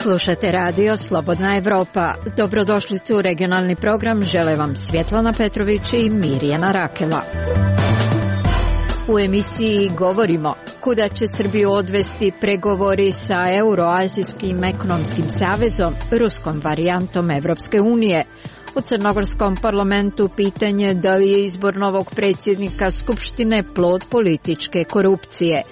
Slušate radio Slobodna Evropa. Dobrodošlicu u regionalni program. Žele vam Svjetlana Petrović i Mirjana Rakela. U emisiji govorimo kuda će Srbiju odvesti pregovori sa Euroazijskim ekonomskim savezom, ruskom varijantom Evropske unije. U Crnogorskom parlamentu pitanje da li je izbor novog predsjednika Skupštine plod političke korupcije.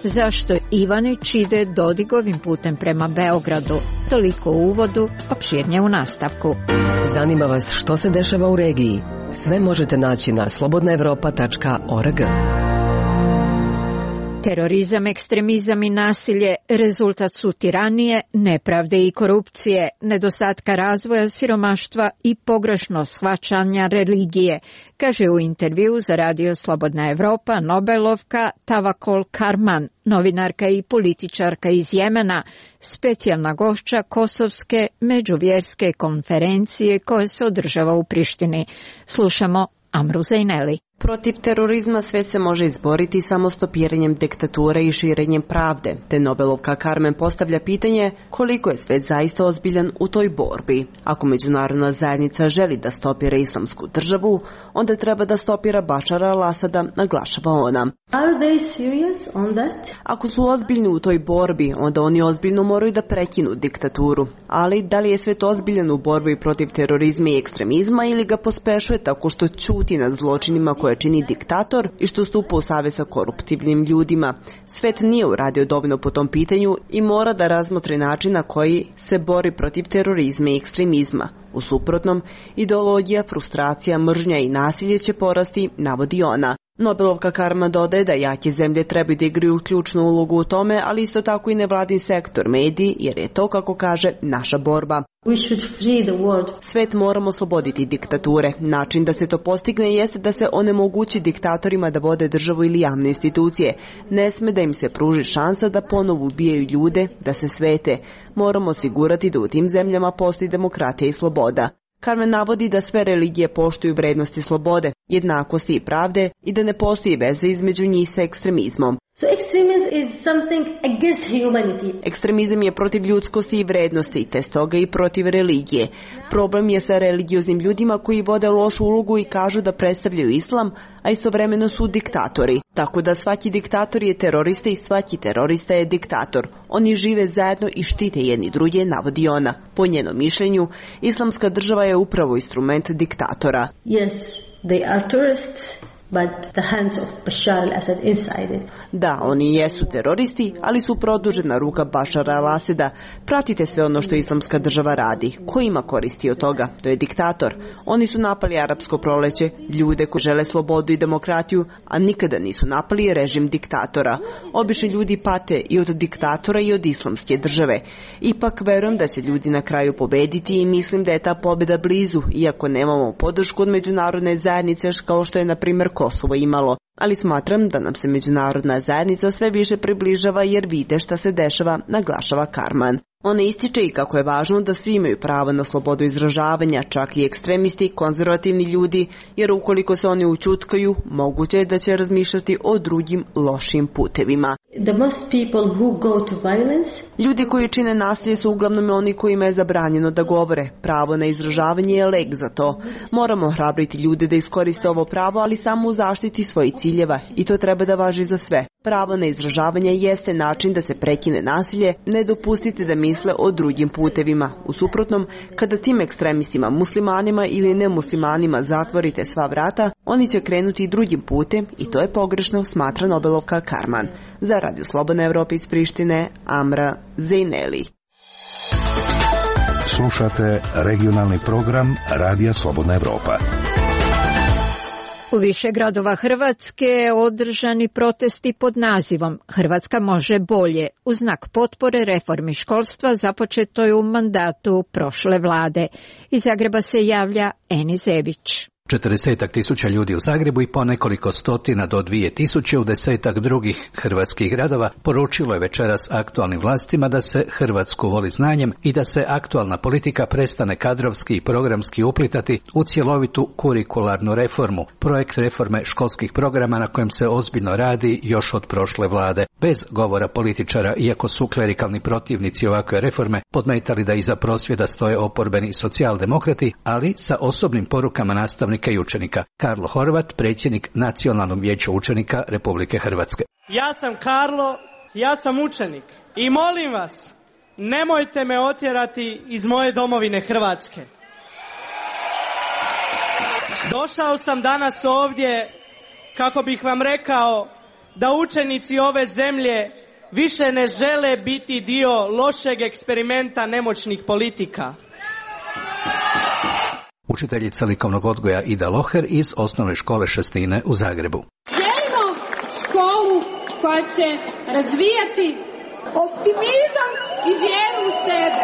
Zašto Ivanić ide Dodigovim putem prema Beogradu? Toliko u uvodu, opširnije u nastavku. Zanima vas što se dešava u regiji? Sve možete naći na slobodnaevropa.org. Terorizam, ekstremizam i nasilje rezultat su tiranije, nepravde i korupcije, nedostatka razvoja, siromaštva i pogrešno shvaćanja religije, kaže u intervju za radio Slobodna Evropa Nobelovka Tawakkol Karman, novinarka i političarka iz Jemena, specijalna gošća Kosovske međuvjerske konferencije koja se održava u Prištini. Slušamo Amru Zejneli. Protiv terorizma svet se može izboriti samo stopiranjem diktature i širenjem pravde, te Nobelovka Karmen postavlja pitanje koliko je svet zaista ozbiljan u toj borbi. Ako međunarodna zajednica želi da stopira islamsku državu, onda treba da stopira Bašara al-Asada, naglašava ona. Are they serious on that? Ako su ozbiljni u toj borbi, onda oni ozbiljno moraju da prekinu diktaturu. Ali da li je svet ozbiljan u borbi protiv terorizma i ekstremizma ili ga pospešuje tako što ćuti nad zločinima koje čini diktator i što stupa u savez sa koruptivnim ljudima? Svet nije uradio dovoljno po tom pitanju i mora da razmotri način na koji se bori protiv terorizma i ekstremizma. U suprotnom, ideologija, frustracija, mržnja i nasilje će porasti, navodi ona. Nobelovka Karma dodaje da jake zemlje trebaju da igraju ključnu ulogu u tome, ali isto tako i nevladin sektor, mediji, jer je to, kako kaže, naša borba. Svet moramo osloboditi diktature. Način da se to postigne jeste da se onemogući diktatorima da vode državu ili javne institucije. Ne sme da im se pruži šansa da ponovo ubijaju ljude, da se svete. Moramo osigurati da u tim zemljama postoji demokratija i sloboda. Karmen navodi da sve religije poštuju vrednosti slobode, jednakosti i pravde i da ne postoji veze između njih sa ekstremizmom. Ekstremizam je protiv ljudskosti i vrednosti, te stoga i protiv religije. Problem je sa religioznim ljudima koji vode lošu ulogu i kažu da predstavljaju islam, a istovremeno su diktatori. Tako da svaki diktator je terorista i svaki terorista je diktator. Oni žive zajedno i štite jedni druge, navodi ona. Po njenom mišljenju, islamska država je upravo instrument diktatora. Yes, they are terrorists. But the hands of Bashar al-Assad inside it. Da, oni jesu teroristi, ali su produžena ruka Bašara al-Asada. Pratite sve ono što islamska država radi. Ko ima koristi od toga? To je diktator. Oni su napali arapsko proleće, ljude koji žele slobodu i demokratiju, a nikada nisu napali režim diktatora. Obični ljudi pate i od diktatora i od islamske države. Ipak verujem da će ljudi na kraju pobediti i mislim da je ta pobjeda blizu, iako nemamo podršku od međunarodne zajednice kao što je, na primjer, Kosovo imalo, ali smatram da nam se međunarodna zajednica sve više približava jer vide šta se dešava, naglašava Karman. Ona ističe i kako je važno da svi imaju pravo na slobodu izražavanja, čak i ekstremisti, konzervativni ljudi, jer ukoliko se oni ućutkaju, moguće je da će razmišljati o drugim lošim putevima. Ljudi koji čine nasilje su uglavnom oni kojima je zabranjeno da govore. Pravo na izražavanje je lek za to. Moramo hrabriti ljude da iskoriste ovo pravo, ali samo u zaštiti svojih ciljeva i to treba da važi za sve. Pravo na izražavanje jeste način da se prekine nasilje, ne dopustite da misle o drugim putevima. U suprotnom, kada tim ekstremistima, muslimanima ili nemuslimanima zatvorite sva vrata, oni će krenuti drugim putem i to je pogrešno, smatra Nobelovka Karman. Za Radio Slobodna Evropa iz Prištine, Amra Zejneli. Slušate regionalni program Radija Slobodna Evropa. U više gradova Hrvatske održani protesti pod nazivom Hrvatska može bolje, u znak potpore reformi školstva započetoj u mandatu prošle vlade. Iz Zagreba se javlja Eni Zević. 40.000 ljudi u Zagrebu i po nekoliko stotina do 2.000 u 10 drugih hrvatskih gradova poručilo je večeras aktualnim vlastima da se Hrvatsku voli znanjem i da se aktualna politika prestane kadrovski i programski uplitati u cjelovitu kurikularnu reformu, projekt reforme školskih programa na kojem se ozbiljno radi još od prošle vlade. Bez govora političara, iako su klerikalni protivnici ovakve reforme podmetali da iza prosvjeda stoje oporbeni socijaldemokrati, ali sa osobnim porukama nastavnika i učenika. Karlo Horvat, predsjednik Nacionalnog vijeća učenika Republike Hrvatske. Ja sam Karlo, ja sam učenik i molim vas, nemojte me otjerati iz moje domovine Hrvatske. Došao sam danas ovdje kako bih vam rekao da učenici ove zemlje više ne žele biti dio lošeg eksperimenta nemoćnih politika. Učiteljica likovnog odgoja Ida Loher iz osnovne škole Šestine u Zagrebu. Želimo školu koja će razvijati optimizam i vjeru u sebe.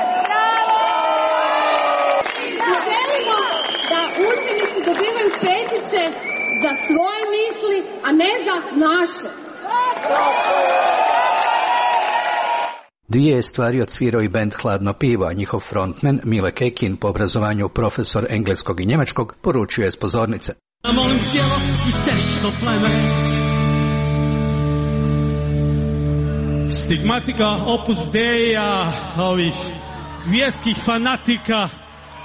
Želimo da učenici dobivaju petice za svoje misli, a ne za naše. Dvije je stvari odsvirao i bend Hladno pivo, a njihov frontman Mile Kekin, po obrazovanju profesor engleskog i njemačkog, poručuje s pozornice. Molim cijelo isterično pleme. Stigmatika opus deja ovih vjerskih fanatika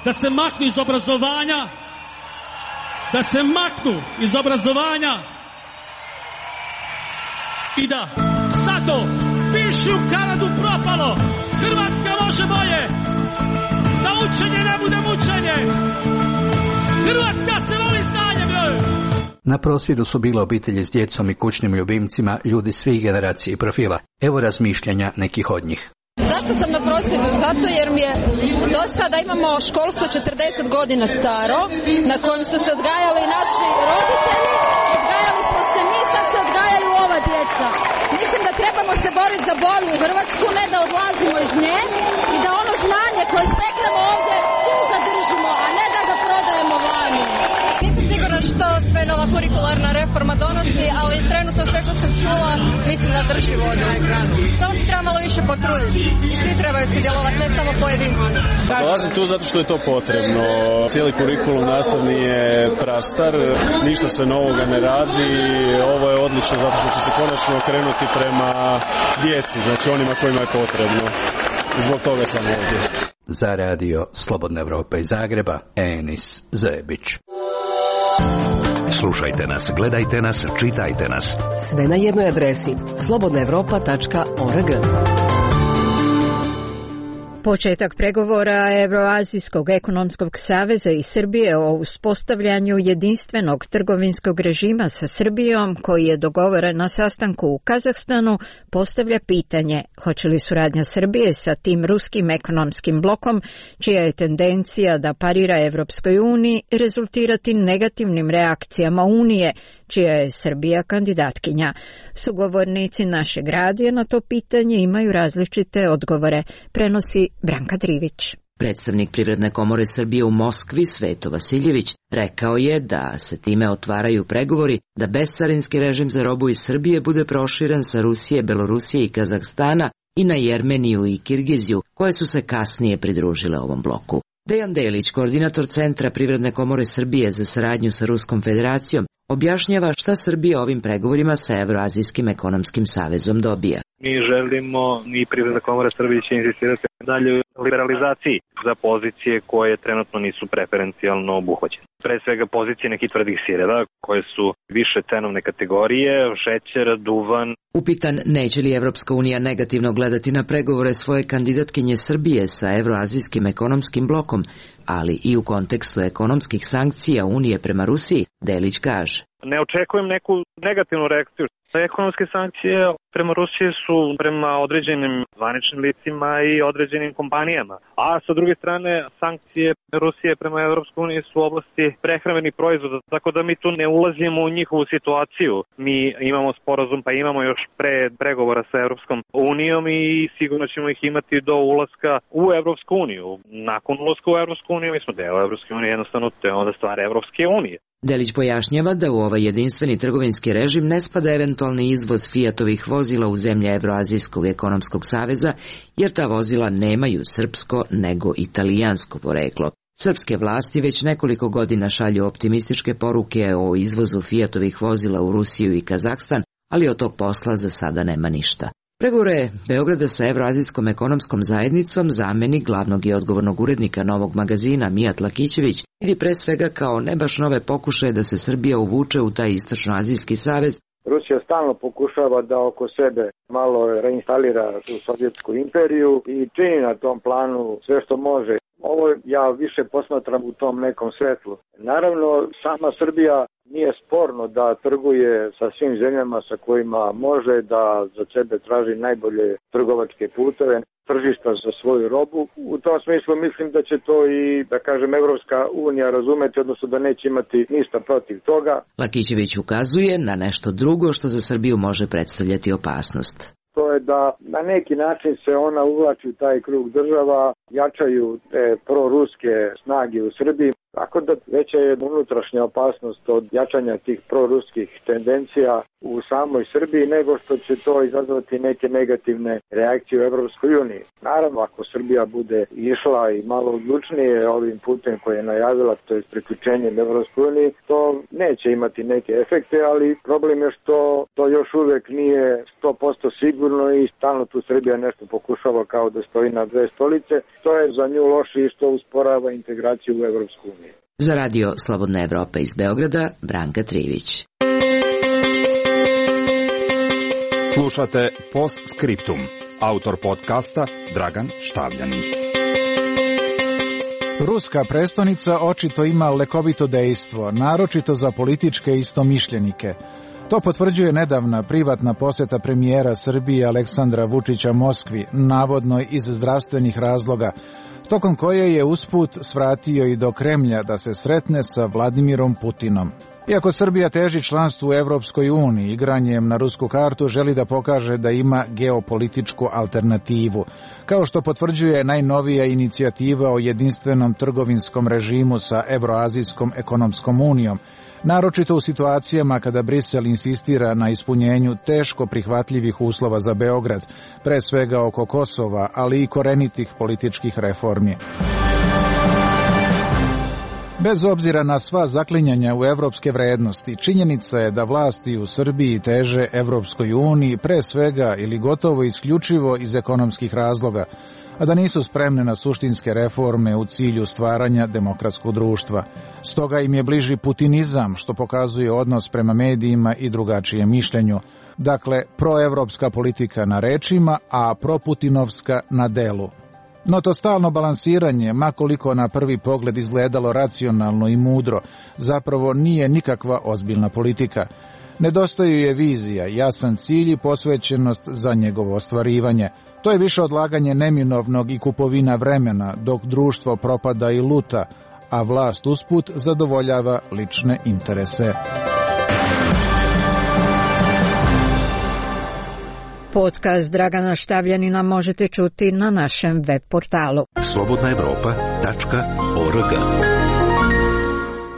da se maknu iz obrazovanja, i da zato piši u Kanadu propalo, Hrvatska može bolje, da učenje ne bude mučenje, Hrvatska se voli znanjem. Na prosvjedu su bile obitelji s djecom i kućnim ljubimcima, ljudi svih generacija i profila. Evo razmišljanja nekih od njih. Zašto sam na prosvjedu? Zato jer mi je dosta da imamo školstvo 40 godina staro, na kojem su se odgajali naši roditelji, odgajali smo se mi, sad se odgajaju ova djeca. Mislim da trebamo se boriti za bolju Hrvatsku, ne da odlazimo iz nje i da ono znanje koje steknemo ovdje tu zadržimo, a ne da ga prodajemo vani. Nisam sigurna što sve nova kurikularna reforma donosi, ali trenutno sve što sam čula mislim da drži vodu. Samo se treba malo više potruditi i svi trebaju sudjelovati, ne samo pojedinci. Dolazim tu zato što je to potrebno. Cijeli kurikulum nastavni je prastar, ništa se novoga ne radi. Ovo je odlično zato što će se konačno okrenuti prema djeci, znači onima kojima je potrebno. Zbog toga sam ovdje. Za radio Slobodna Evropa iz Zagreba, Enis Zebić. Slušajte nas, gledajte nas, čitajte nas. Sve na jednoj adresi slobodnaevropa.org. Početak pregovora Evroazijskog ekonomskog saveza i Srbije o uspostavljanju jedinstvenog trgovinskog režima sa Srbijom, koji je dogovoren na sastanku u Kazahstanu, postavlja pitanje hoće li suradnja Srbije sa tim ruskim ekonomskim blokom, čija je tendencija da parira Evropskoj uniji, rezultirati negativnim reakcijama Unije, čija je Srbija kandidatkinja. Sugovornici našeg radija na to pitanje imaju različite odgovore, prenosi Branka Drivić. Predstavnik Privredne komore Srbije u Moskvi, Sveto Vasiljević, rekao je da se time otvaraju pregovori da bescarinski režim za robu iz Srbije bude proširen sa Rusije, Belorusije i Kazahstana i na Jermeniju i Kirgiziju, koje su se kasnije pridružile ovom bloku. Dejan Delić, koordinator Centra Privredne komore Srbije za saradnju sa Ruskom federacijom, objašnjava šta Srbija ovim pregovorima sa Evroazijskim ekonomskim savezom dobija. Mi želimo, i Privredna komora Srbije će insistirati dalje liberalizaciji za pozicije koje trenutno nisu preferencijalno obuhvaćene. Pre svega pozicije nekih tvrdih sireva koje su više cenovne kategorije, šećer, duvan. Upitan neće li Evropska unija negativno gledati na pregovore svoje kandidatkinje Srbije sa Evroazijskim ekonomskim blokom, ali i u kontekstu ekonomskih sankcija Unije prema Rusiji, Delić kaže. Ne očekujem neku negativnu reakciju. Ekonomske sankcije prema Rusiji su prema određenim zvaničnim licima i određenim kompanijama. A sa druge strane, sankcije Rusije prema Evropskoj uniji su u oblasti prehrambenih proizvoda, tako da mi tu ne ulazimo u njihovu situaciju. Mi imamo sporazum, pa imamo još pregovora sa Evropskom unijom i sigurno ćemo ih imati do ulaska u Evropsku uniju. Nakon ulaska u Evropsku uniju, mi smo deo Evropske unije, jednostavno to je onda stvar Evropske unije. Delić pojašnjava da u ovaj jedinstveni trgovinski režim ne spada eventualni izvoz Fiatovih vozila u zemlje Evroazijskog ekonomskog saveza, jer ta vozila nemaju srpsko nego italijansko poreklo. Srpske vlasti već nekoliko godina šalju optimističke poruke o izvozu Fiatovih vozila u Rusiju i Kazahstan, ali od tog posla za sada nema ništa. Pregovore Beograda sa Evroazijskom ekonomskom zajednicom zamenik glavnog i odgovornog urednika Novog magazina Mijat Lakićević vidi pre svega kao ne baš nove pokušaje da se Srbija uvuče u taj istočnoazijski savez. Rusija stalno pokušava da oko sebe malo reinstalira tu Sovjetsku imperiju i čini na tom planu sve što može. Ovo ja više posmatram u tom nekom svetlu. Naravno, sama Srbija nije sporno da trguje sa svim zemljama sa kojima može, da za sebe traži najbolje trgovačke puteve, tržišta za svoju robu. U tom smislu mislim da će to i, da kažem, Evropska unija razumeti, odnosno da neće imati ništa protiv toga. Lakićević ukazuje na nešto drugo što za Srbiju može predstavljati opasnost. To je da na neki način se ona uvlači u taj krug država, jačaju te proruske snage u Srbiji, tako da veća je unutrašnja opasnost od jačanja tih proruskih tendencija u samoj Srbiji nego što će to izazvati neke negativne reakcije u Evropskoj uniji. Naravno, ako Srbija bude išla i malo odlučnije ovim putem koje je najavila, to je priključenjem Evropskoj uniji, to neće imati neke efekte, ali problem je što to još uvek nije 100% sigurno i stalno tu Srbija nešto pokušava kao da stoji na dve stolice. To je za nju loše i što usporava integraciju u Evropsku uniju. Za radio Slobodna Evropa iz Beograda, Branka Trivić. Slušate Postscriptum. Autor podcasta Dragan Štavljanin. Ruska prestonica očito ima lekovito dejstvo, naročito za političke istomišljenike. To potvrđuje nedavna privatna posjeta premijera Srbije Aleksandra Vučića Moskvi, navodno iz zdravstvenih razloga, tokom koje je usput svratio i do Kremlja da se sretne sa Vladimirom Putinom. Iako Srbija teži članstvu u Evropskoj uniji, igranjem na rusku kartu želi da pokaže da ima geopolitičku alternativu, kao što potvrđuje najnovija inicijativa o jedinstvenom trgovinskom režimu sa Evroazijskom ekonomskom unijom, naročito u situacijama kada Brisel insistira na ispunjenju teško prihvatljivih uslova za Beograd, pre svega oko Kosova, ali i korenitih političkih reformi. Bez obzira na sva zaklinjanja u evropske vrednosti, činjenica je da vlasti u Srbiji teže Evropskoj uniji pre svega ili gotovo isključivo iz ekonomskih razloga, a da nisu spremne na suštinske reforme u cilju stvaranja demokratskog društva. Stoga im je bliži putinizam, što pokazuje odnos prema medijima i drugačijem mišljenju. Dakle, proevropska politika na rečima, a proputinovska na delu. No to stalno balansiranje, makoliko na prvi pogled izgledalo racionalno i mudro, zapravo nije nikakva ozbiljna politika. Nedostaju je vizija, jasan cilj i posvećenost za njegovo ostvarivanje. To je više odlaganje neminovnog i kupovina vremena, dok društvo propada i luta, a vlast usput zadovoljava lične interese. Podcast Dragana Štavljanina možete čuti na našem web portalu slobodnaevropa.org.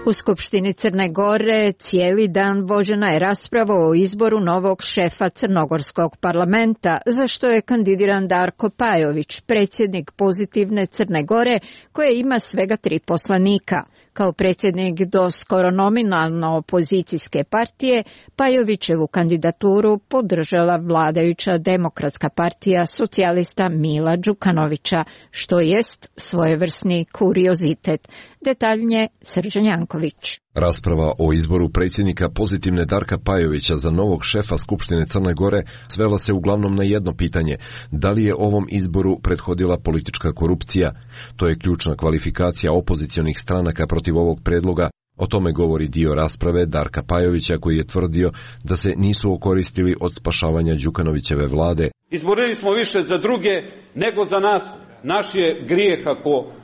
U Skupštini Crne Gore cijeli dan vođena je rasprava o izboru novog šefa Crnogorskog parlamenta, za što je kandidiran Darko Pajović, predsjednik Pozitivne Crne Gore, koja ima svega 3 poslanika. Kao predsjednik do skoro nominalno opozicijske partije, Pajovićevu kandidaturu podržala vladajuća Demokratska partija socijalista Mila Đukanovića, što jest svojevrsni kuriozitet. Detaljnije Srđan Janković. Rasprava o izboru predsjednika Pozitivne Darka Pajovića za novog šefa Skupštine Crne Gore svela se uglavnom na jedno pitanje: da li je ovom izboru prethodila politička korupcija? To je ključna kvalifikacija opozicionih stranaka protiv ovog predloga. O tome govori dio rasprave Darka Pajovića, koji je tvrdio da se nisu okoristili od spašavanja Đukanovićeve vlade. Izborili smo više za druge nego za nas. Naš je grijeh,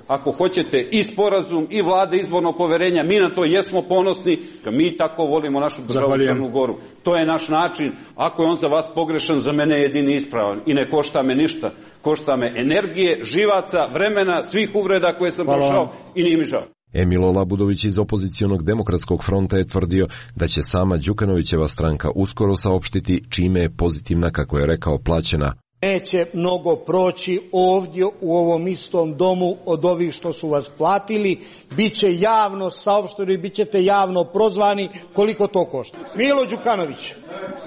ako hoćete, i sporazum i vlade izbornog poverenja. Mi na to jesmo ponosni, mi tako volimo našu državu Crnu Goru. To je naš način. Ako je on za vas pogrešan, za mene je jedini ispravan i ne košta me ništa. Košta me energije, živaca, vremena, svih uvreda koje sam prošao i nije mi žao. Emilo Labudović iz opozicionog demokratskog fronta je tvrdio da će sama Đukanovićeva stranka uskoro saopštiti čime je pozitivna, kako je rekao, plaćena. Neće mnogo proći ovdje u ovom istom domu od ovih što su vas platili, bit će javno saopšteno i bit ćete javno prozvani koliko to košta. Milo Đukanović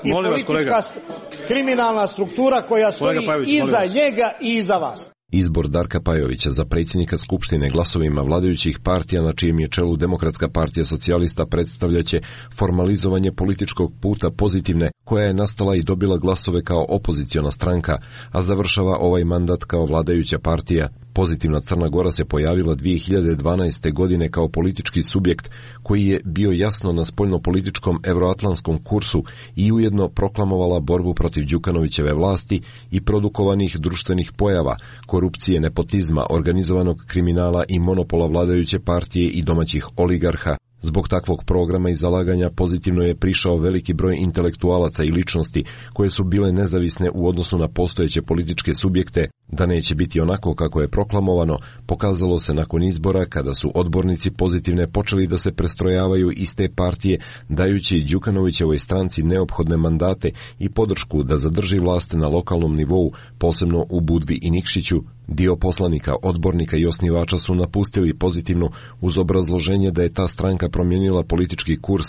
i politička kriminalna struktura koja stoji iza njega i iza vas. Izbor Darka Pajovića za predsjednika Skupštine glasovima vladajućih partija, na čijem je čelu Demokratska partija socijalista, predstavljaće formalizovanje političkog puta Pozitivne, koja je nastala i dobila glasove kao opoziciona stranka, a završava ovaj mandat kao vladajuća partija. Pozitivna Crna Gora se pojavila 2012. godine kao politički subjekt koji je bio jasno na spoljnopolitičkom evroatlantskom kursu i ujedno proklamovala borbu protiv Đukanovićeve vlasti i produkovanih društvenih pojava, korupcije, nepotizma, organizovanog kriminala i monopola vladajuće partije i domaćih oligarha. Zbog takvog programa i zalaganja Pozitivno je prišao veliki broj intelektualaca i ličnosti koje su bile nezavisne u odnosu na postojeće političke subjekte. Da neće biti onako kako je proklamovano, pokazalo se nakon izbora kada su odbornici Pozitivne počeli da se prestrojavaju iz te partije, dajući Đukanovićevoj stranci neophodne mandate i podršku da zadrži vlast na lokalnom nivou, posebno u Budvi i Nikšiću. Dio poslanika, odbornika i osnivača su napustili Pozitivnu uz obrazloženje da je ta stranka promijenila politički kurs.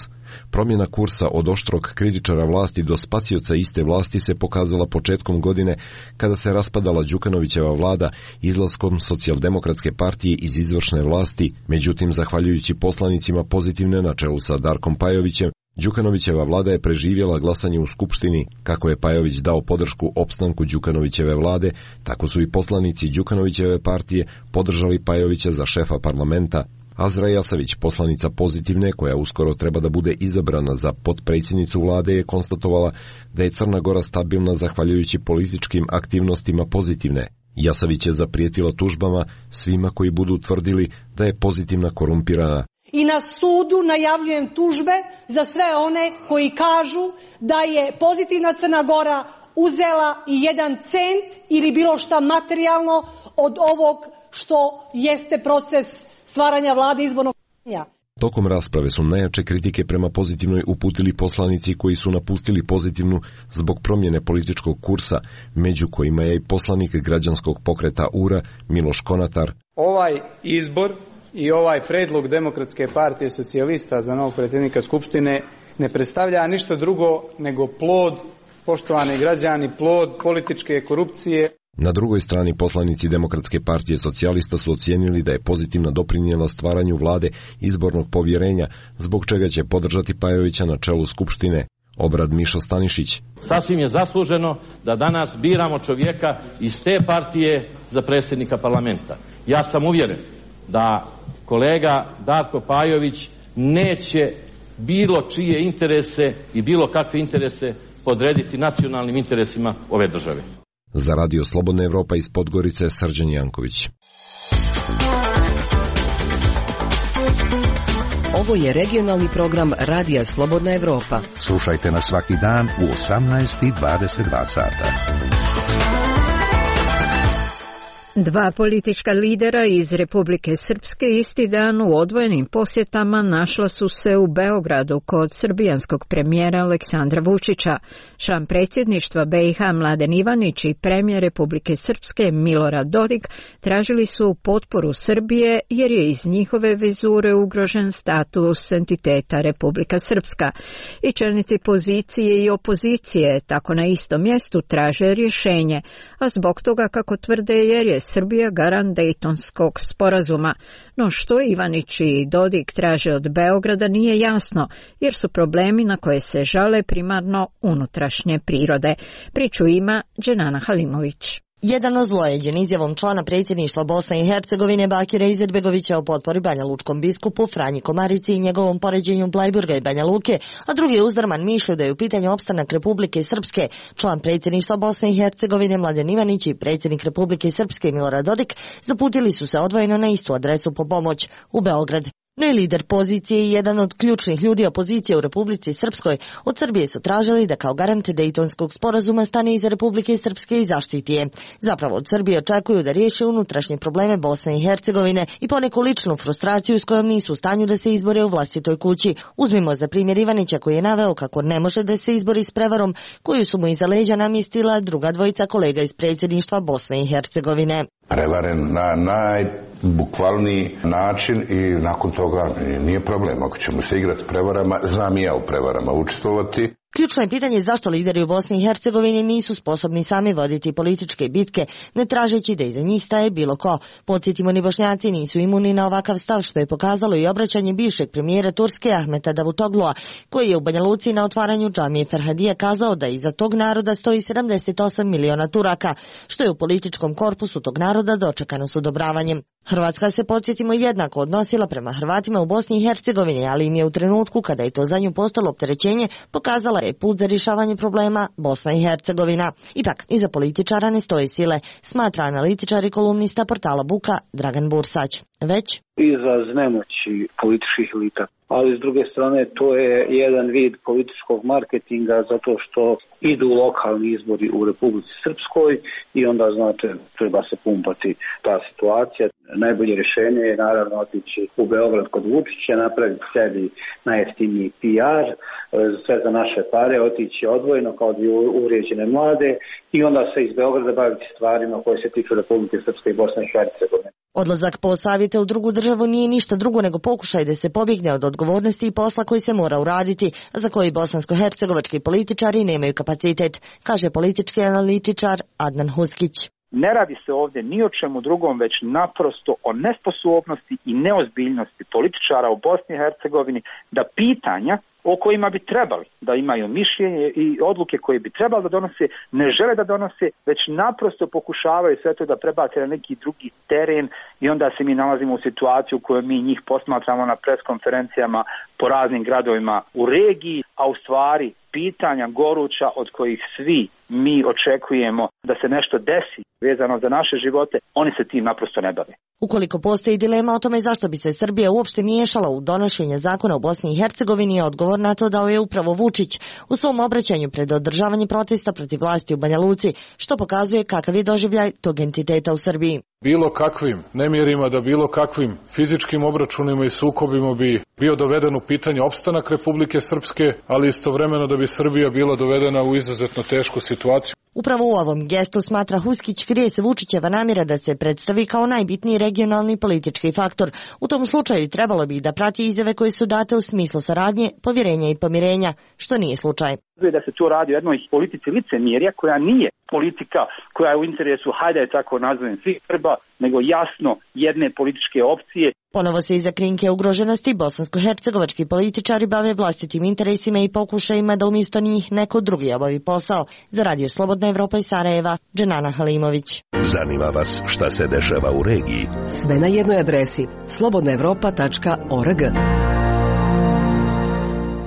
Promjena kursa od oštrog kritičara vlasti do spacioca iste vlasti se pokazala početkom godine kada se raspadala Đukanovićeva vlada izlaskom Socijaldemokratske partije iz izvršne vlasti. Međutim, zahvaljujući poslanicima Pozitivne na čelu sa Darkom Pajovićem, Đukanovićeva vlada je preživjela glasanje u Skupštini. Kako je Pajović dao podršku opstanku Đukanovićeve vlade, tako su i poslanici Đukanovićeve partije podržali Pajovića za šefa parlamenta. Azra Jasavić, poslanica Pozitivne, koja uskoro treba da bude izabrana za potpredsjednicu vlade, je konstatovala da je Crna Gora stabilna zahvaljujući političkim aktivnostima Pozitivne. Jasavić je zaprijetila tužbama svima koji budu tvrdili da je Pozitivna korumpirana. I na sudu najavljujem tužbe za sve one koji kažu da je Pozitivna Crna Gora uzela i 1 cent ili bilo šta materijalno od ovog što jeste proces stvaranja vlade izbornog pitanja. Tokom rasprave su najjače kritike prema Pozitivnoj uputili poslanici koji su napustili Pozitivnu zbog promjene političkog kursa, među kojima je i poslanik građanskog pokreta URA Miloš Konatar. Ovaj izbor i ovaj predlog Demokratske partije socijalista za novog predsjednika Skupštine ne predstavlja ništa drugo nego plod, poštovani građani, plod političke korupcije. Na drugoj strani poslanici Demokratske partije socijalista su ocijenili da je Pozitivna doprinijela stvaranju vlade izbornog povjerenja, zbog čega će podržati Pajovića na čelu Skupštine. Obrad Mišo Stanišić. Sasvim je zasluženo da danas biramo čovjeka iz te partije za predsjednika parlamenta. Ja sam uvjeren da kolega Darko Pajović neće bilo čije interese i bilo kakve interese podrediti nacionalnim interesima ove države. Za Radio Slobodna Evropa iz Podgorice, Srđan Janković. Ovo je regionalni program Radija Slobodna Evropa. Slušajte nas svaki dan u 18:22 sata. 2 politička lidera iz Republike Srpske isti dan u odvojenim posjetama našla su se u Beogradu kod srbijanskog premijera Aleksandra Vučića. Član predsjedništva BiH Mladen Ivanić i premijer Republike Srpske Milorad Dodik tražili su potporu Srbije jer je iz njihove vizure ugrožen status entiteta Republika Srpska. I čelnici pozicije i opozicije tako na istom mjestu traže rješenje, a zbog toga, kako tvrde, jer je Srbija garant Dejtonskog sporazuma. No što Ivanić i Dodik traže od Beograda nije jasno, jer su problemi na koje se žale primarno unutrašnje prirode. Priču ima Dženana Halimović. Jedan ozlojeđen izjavom člana predsjedništva Bosne i Hercegovine Bakira Izetbegovića o potpori Banja Lučkom biskupu Franji Komarici i njegovom poređenju Blajburga i Banja Luke, a drugi je uzdrman mišlju da je u pitanju opstanak Republike Srpske. Član predsjedništva Bosne i Hercegovine Mladen Ivanić i predsjednik Republike Srpske Milorad Dodik zaputili su se odvojeno na istu adresu po pomoć u Beograd. No i lider pozicije i jedan od ključnih ljudi opozicije u Republici Srpskoj od Srbije su tražili da kao garant Dejtonskog sporazuma stane iza Republike Srpske i zaštiti je. Zapravo od Srbije očekuju da riješe unutrašnje probleme Bosne i Hercegovine i poneku ličnu frustraciju s kojom nisu u stanju da se izbore u vlastitoj kući. Uzmimo za primjer Ivanića koji je naveo kako ne može da se izbori s prevarom koju su mu iza leđa namjestila druga dvojica kolega iz predsjedništva Bosne i Hercegovine. Prevaren na najbukvalniji način i nakon toga nije problem. Ako ćemo se igrati prevarama, znam i ja u prevarama učestvovati. Ključno je pitanje zašto lideri u Bosni i Hercegovini nisu sposobni sami voditi političke bitke, ne tražeći da iza njih staje bilo ko. Podsjetimo, ni Bošnjaci nisu imuni na ovakav stav, što je pokazalo i obraćanje bivšeg premijera Turske Ahmeta Davutoglua, koji je u Banja Luci na otvaranju džamije Ferhadija kazao da iza tog naroda stoji 78 miliona Turaka, što je u političkom korpusu tog naroda dočekano s odobravanjem. Hrvatska se, podsjetimo, jednako odnosila prema Hrvatima u Bosni i Hercegovini, ali im je u trenutku kada je to za nju postalo opterećenje pokazala je put za rješavanje problema Bosna i Hercegovina. Ipak, iza političara ne stoje sile, smatra analitičar i kolumnista portala Buka Dragan Bursać. Već izraz nemoći političkih elita. Ali s druge strane to je jedan vid političkog marketinga zato što idu lokalni izbori u Republici Srpskoj i onda, znate, treba se pumpati ta situacija. Najbolje rješenje je naravno otići u Beograd kod Vučića, napraviti sebi najjeftiniji PR, sve za naše pare, otići odvojeno kao dvije uvrijeđene mlade i onda se iz Beograda baviti stvarima koje se tiču Republike Srpske i Bosne i Hercegovine. Odlazak po savjete u drugu državu nije ništa drugo nego pokušaj da se pobjegne od odgovornosti i posla koji se mora uraditi, za koji bosansko-hercegovački političari nemaju kapacitet, kaže politički analitičar Adnan Huskić. Ne radi se ovdje ni o čemu drugom, već naprosto o nesposobnosti i neozbiljnosti političara u Bosni i Hercegovini da pitanja o kojima bi trebali da imaju mišljenje i odluke koje bi trebali da donose, ne žele da donose, već naprosto pokušavaju sve to da prebace na neki drugi teren i onda se mi nalazimo u situaciju u kojoj mi njih posmatramo na preskonferencijama po raznim gradovima u regiji, a u stvari pitanja goruća od kojih svi mi očekujemo da se nešto desi vezano za naše živote, oni se tim naprosto ne bave. Ukoliko postoji dilema o tome zašto bi se Srbija uopšte miješala u donošenje zakona u Bosni i Hercegovini, odgovor na to dao je upravo Vučić u svom obraćanju pred održavanje protesta protiv vlasti u Banja Luci, što pokazuje kakav je doživljaj tog entiteta u Srbiji. Bilo kakvim nemjerima, da bilo kakvim fizičkim obračunima i sukobima bi bio doveden u pitanje opstanak Republike Srpske, ali istovremeno da bi Srbija bila dovedena u izuzetno tešku situaciju. Upravo u ovom gestu, smatra Huskić, krije se Vučićeva namjera da se predstavi kao najbitniji regionalni politički faktor. U tom slučaju trebalo bi da prati izjave koje su date u smislu saradnje, povjerenja i pomirenja, što nije slučaj. Da se tu radi o jednoj politici licemjerja koja nije politika koja je u interesu, hajde je tako nazovem, svih Srba, nego jasno jedne političke opcije. Ponovo se iza krinke ugroženosti bosansko-hercegovački političari bave vlastitim interesima i pokušajima da umjesto njih neko drugi obavi posao. Za Radio Slobodna Evropa iz Sarajeva, Dženana Halimović. Zanima vas šta se dešava u regiji? Sve na jednoj adresi slobodnaevropa.org.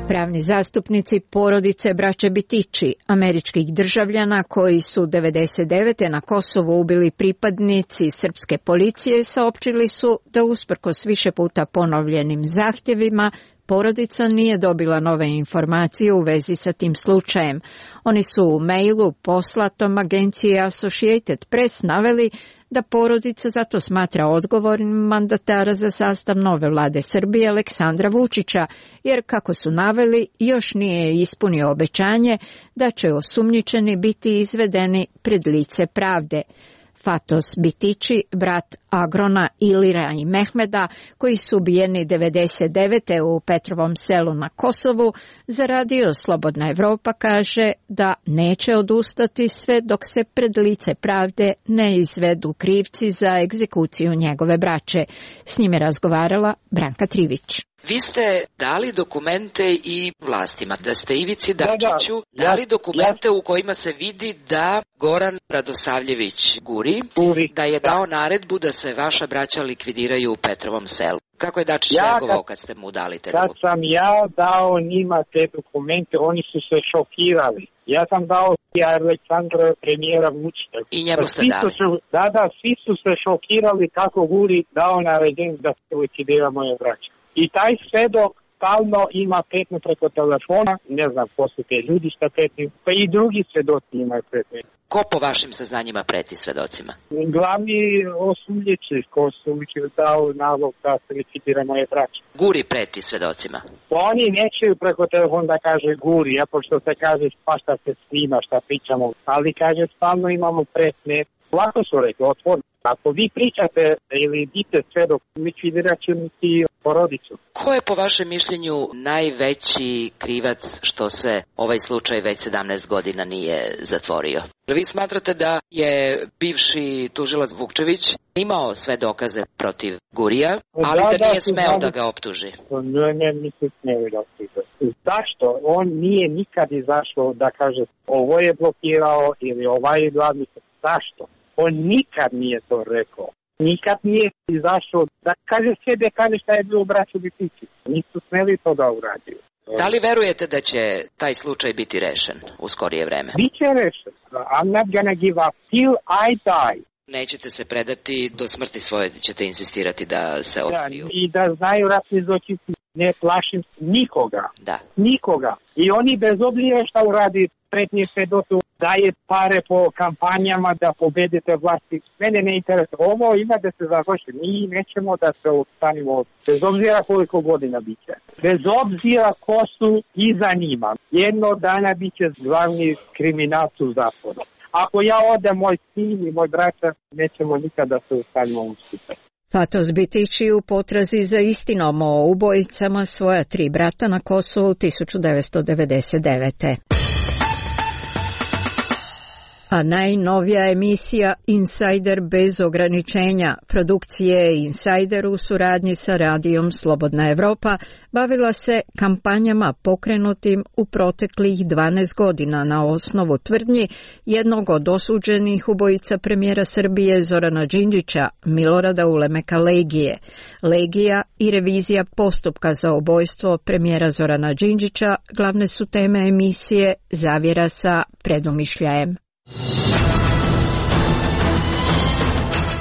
Pravni zastupnici porodice braće Bitići, američkih državljana koji su 1999. na Kosovu ubili pripadnici srpske policije, saopćili su da usprkos više puta ponovljenim zahtjevima porodica nije dobila nove informacije u vezi sa tim slučajem. Oni su u mailu poslatom agencije Associated Press naveli da porodica zato smatra odgovornim mandatara za sastav nove vlade Srbije Aleksandra Vučića, jer kako su naveli još nije ispunio obećanje da će osumnjičeni biti izvedeni pred lice pravde. Fatos Bitići, brat Agrona, Ilira i Mehmeda, koji su ubijeni 1999. u Petrovom selu na Kosovu, za Radio Slobodna Evropa kaže da neće odustati sve dok se pred lice pravde ne izvedu krivci za egzekuciju njegove braće. S njime razgovarala Branka Trivić. Vi ste dali dokumente i vlastima, da ste Ivici Dačiću dali dokumente u kojima se vidi da Goran Radosavljević Guri, da je dao naredbu da se vaša braća likvidiraju u Petrovom selu. Kako je Dačić reagovao kad ste mu dali te dokumente? Kad sam ja dao njima te dokumente, oni su se šokirali. Ja sam dao Aleksandra premijera Vučića. I njemu ste dali? Svi su se šokirali kako Guri dao naređenje da se likvidira moje braće. I taj svedok stalno ima pretnju preko telefona, ne znam ko su te ljudi šta pretnju, pa i drugi svedoci imaju pretnju. Ko po vašim saznanjima preti svedocima? Glavni osumnjiči ko su dao nalog da se likvidira moje braće. Guri preti svedocima? Oni nećeju preko telefona da kaže guri, a pošto se kaže pa šta se snima, šta pričamo, ali kaže stalno imamo pretnje. Lako su rekli, otvorno. Ako vi pričate ili dite svedok, likvidirat će ti porodicu. Ko je po vašem mišljenju najveći krivac što se ovaj slučaj već 17 godina nije zatvorio? Vi smatrate da je bivši tužilac Vukčević imao sve dokaze protiv Gurija, ali da nije smeo da ga optuži? Ne, mislim smeo da optuži. Zašto? On nije nikad izašao da kaže ovo je blokirao ili ovaj je glavni. Zašto? On nikad nije to rekao. Nikad nije izašao da kaže sebe, kaže šta je bilo u braću Bipići. Nisu smeli to da uradio. Da li verujete da će taj slučaj biti rešen u skorije vreme? Biće rešen. I'm not gonna give up till I die. Nećete se predati, do smrti svoje ćete insistirati da se otkriju. I da znaju ratni zločinci, ne plašim nikoga. Da. Nikoga. I oni bez obzira šta uradi pretnje svedoku, daje pare po kampanjama da pobedite vlasti. Mene ne interesuje. Ovo ima da se završi. Mi nećemo da se ostanimo bez obzira koliko godina biće. Bez obzira ko su i zanima. Jedno dana biće glavni kriminalci u zatvoru. Ako ja odem, moj sin i moj braća, nećemo nikada se ostanimo u skupe. Fatos Bitići u potrazi za istinom o ubojicama svoja 3 brata na Kosovu 1999. A najnovija emisija Insider bez ograničenja produkcije Insider u suradnji sa radijom Slobodna Evropa bavila se kampanjama pokrenutim u proteklih 12 godina na osnovu tvrdnji jednog od osuđenih ubojica premijera Srbije Zorana Đinđića, Milorada Ulemeka Legije. Legija i revizija postupka za ubojstvo premijera Zorana Đinđića glavne su teme emisije Zavjera sa predumišljajem.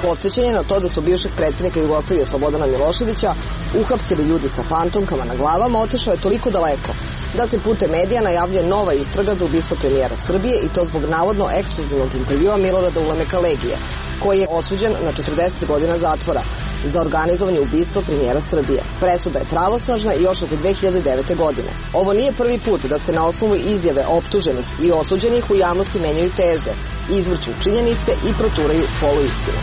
Podsjećanje na to da su bivšeg predsjednika Jugoslavije Slobodana Miloševića uhapsili ljudi sa fantomkama na glavama otišao je toliko daleko da se putem medija najavljuje nova istraga za ubistvo premijera Srbije i to zbog navodno ekskluzivnog intervjua Milorada Ulemeka Legije, koji je osuđen na 40 godina zatvora za organizovanje ubistva premijera Srbije. Presuda je pravosnažna i još od 2009. godine. Ovo nije prvi put da se na osnovu izjave optuženih i osuđenih u javnosti menjaju teze, izvrću činjenice i proturaju poluistine.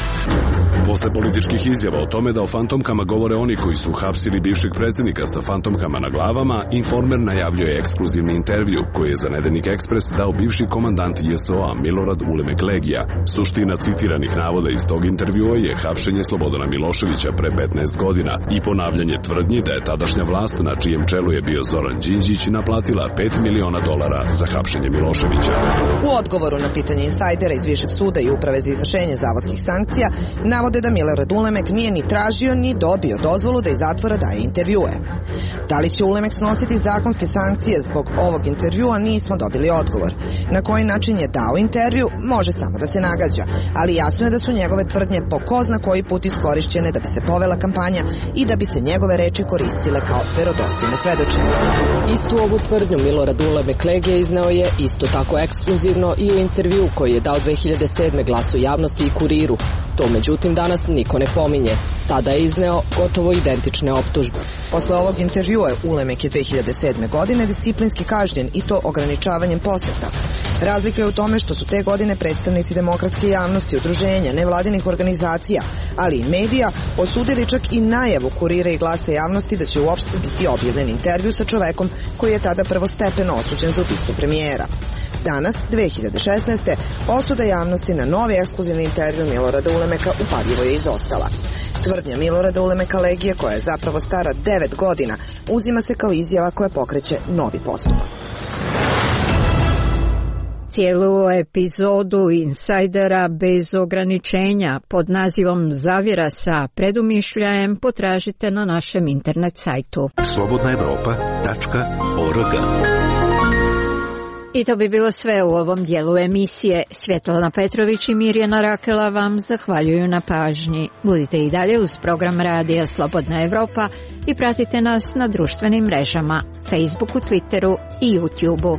Posle političkih izjava o tome da o fantomkama govore oni koji su hapsili bivšeg predsjednika sa fantomkama na glavama, Informer najavljuje ekskluzivni intervju koji je za Nedeljnik Ekspres dao bivši komandant JSO-a Milorad Ulemek Legija. Suština citiranih navoda iz tog intervjua je hapšenje Slobodana Miloševića pre 15 godina i ponavljanje tvrdnji da je tadašnja vlast na čijem čelu je bio Zoran Đinđić naplatila $5 miliona za hapšenje Miloševića. U odgovoru na pitanje Insajdera iz Višeg suda i Uprave za izvršenje zavodskih sankcija navode da Milorad Ulemek nije ni tražio ni dobio dozvolu da iz zatvora daje intervjue. Da li će Ulemek snositi zakonske sankcije zbog ovog intervjua, nismo dobili odgovor. Na koji način je dao intervju, može samo da se nagađa, ali jasno je da su njegove tvrdnje po ko zna koji put iskorišćene da bi se povela kampanja i da bi se njegove reči koristile kao verodostojne svedočenje. Istu ovu tvrdnju Milorad Ulemek Legija izneo je isto tako ekskluzivno i u intervju koji je dao 2007. Glasu javnosti i Kuriru. To međutim danas niko ne pominje. Tada je izneo gotovo identične optužbe. Posle ovog intervjua Ulemek je 2007. godine disciplinski kažnjen i to ograničavanjem poseta. Razlika je u tome što su te godine predstavnici demokratske javnosti, udruženja, nevladinih organizacija, ali i medija osudili čak i najavu Kurira i Glasa javnosti da će uopšte biti objavljen intervju sa čovekom koji je tada prvostepeno osuđen za ubistvo premijera. Danas, 2016. osuda javnosti na novi ekskluzivni intervju Milorada Ulemeka upadljivo je izostala. Tvrdnja Milorada Ulemeka Legije, koja je zapravo stara 9 godina, uzima se kao izjava koja pokreće novi postupak. Cijelu epizodu Insajdera bez ograničenja pod nazivom Zavjera sa predumišljajem potražite na našem internet sajtu. slobodnaevropa.org. I to bi bilo sve u ovom dijelu emisije. Svjetlana Petrović i Mirjana Rakela vam zahvaljuju na pažnji. Budite i dalje uz program Radija Slobodna Evropa i pratite nas na društvenim mrežama, Facebooku, Twitteru i YouTubeu.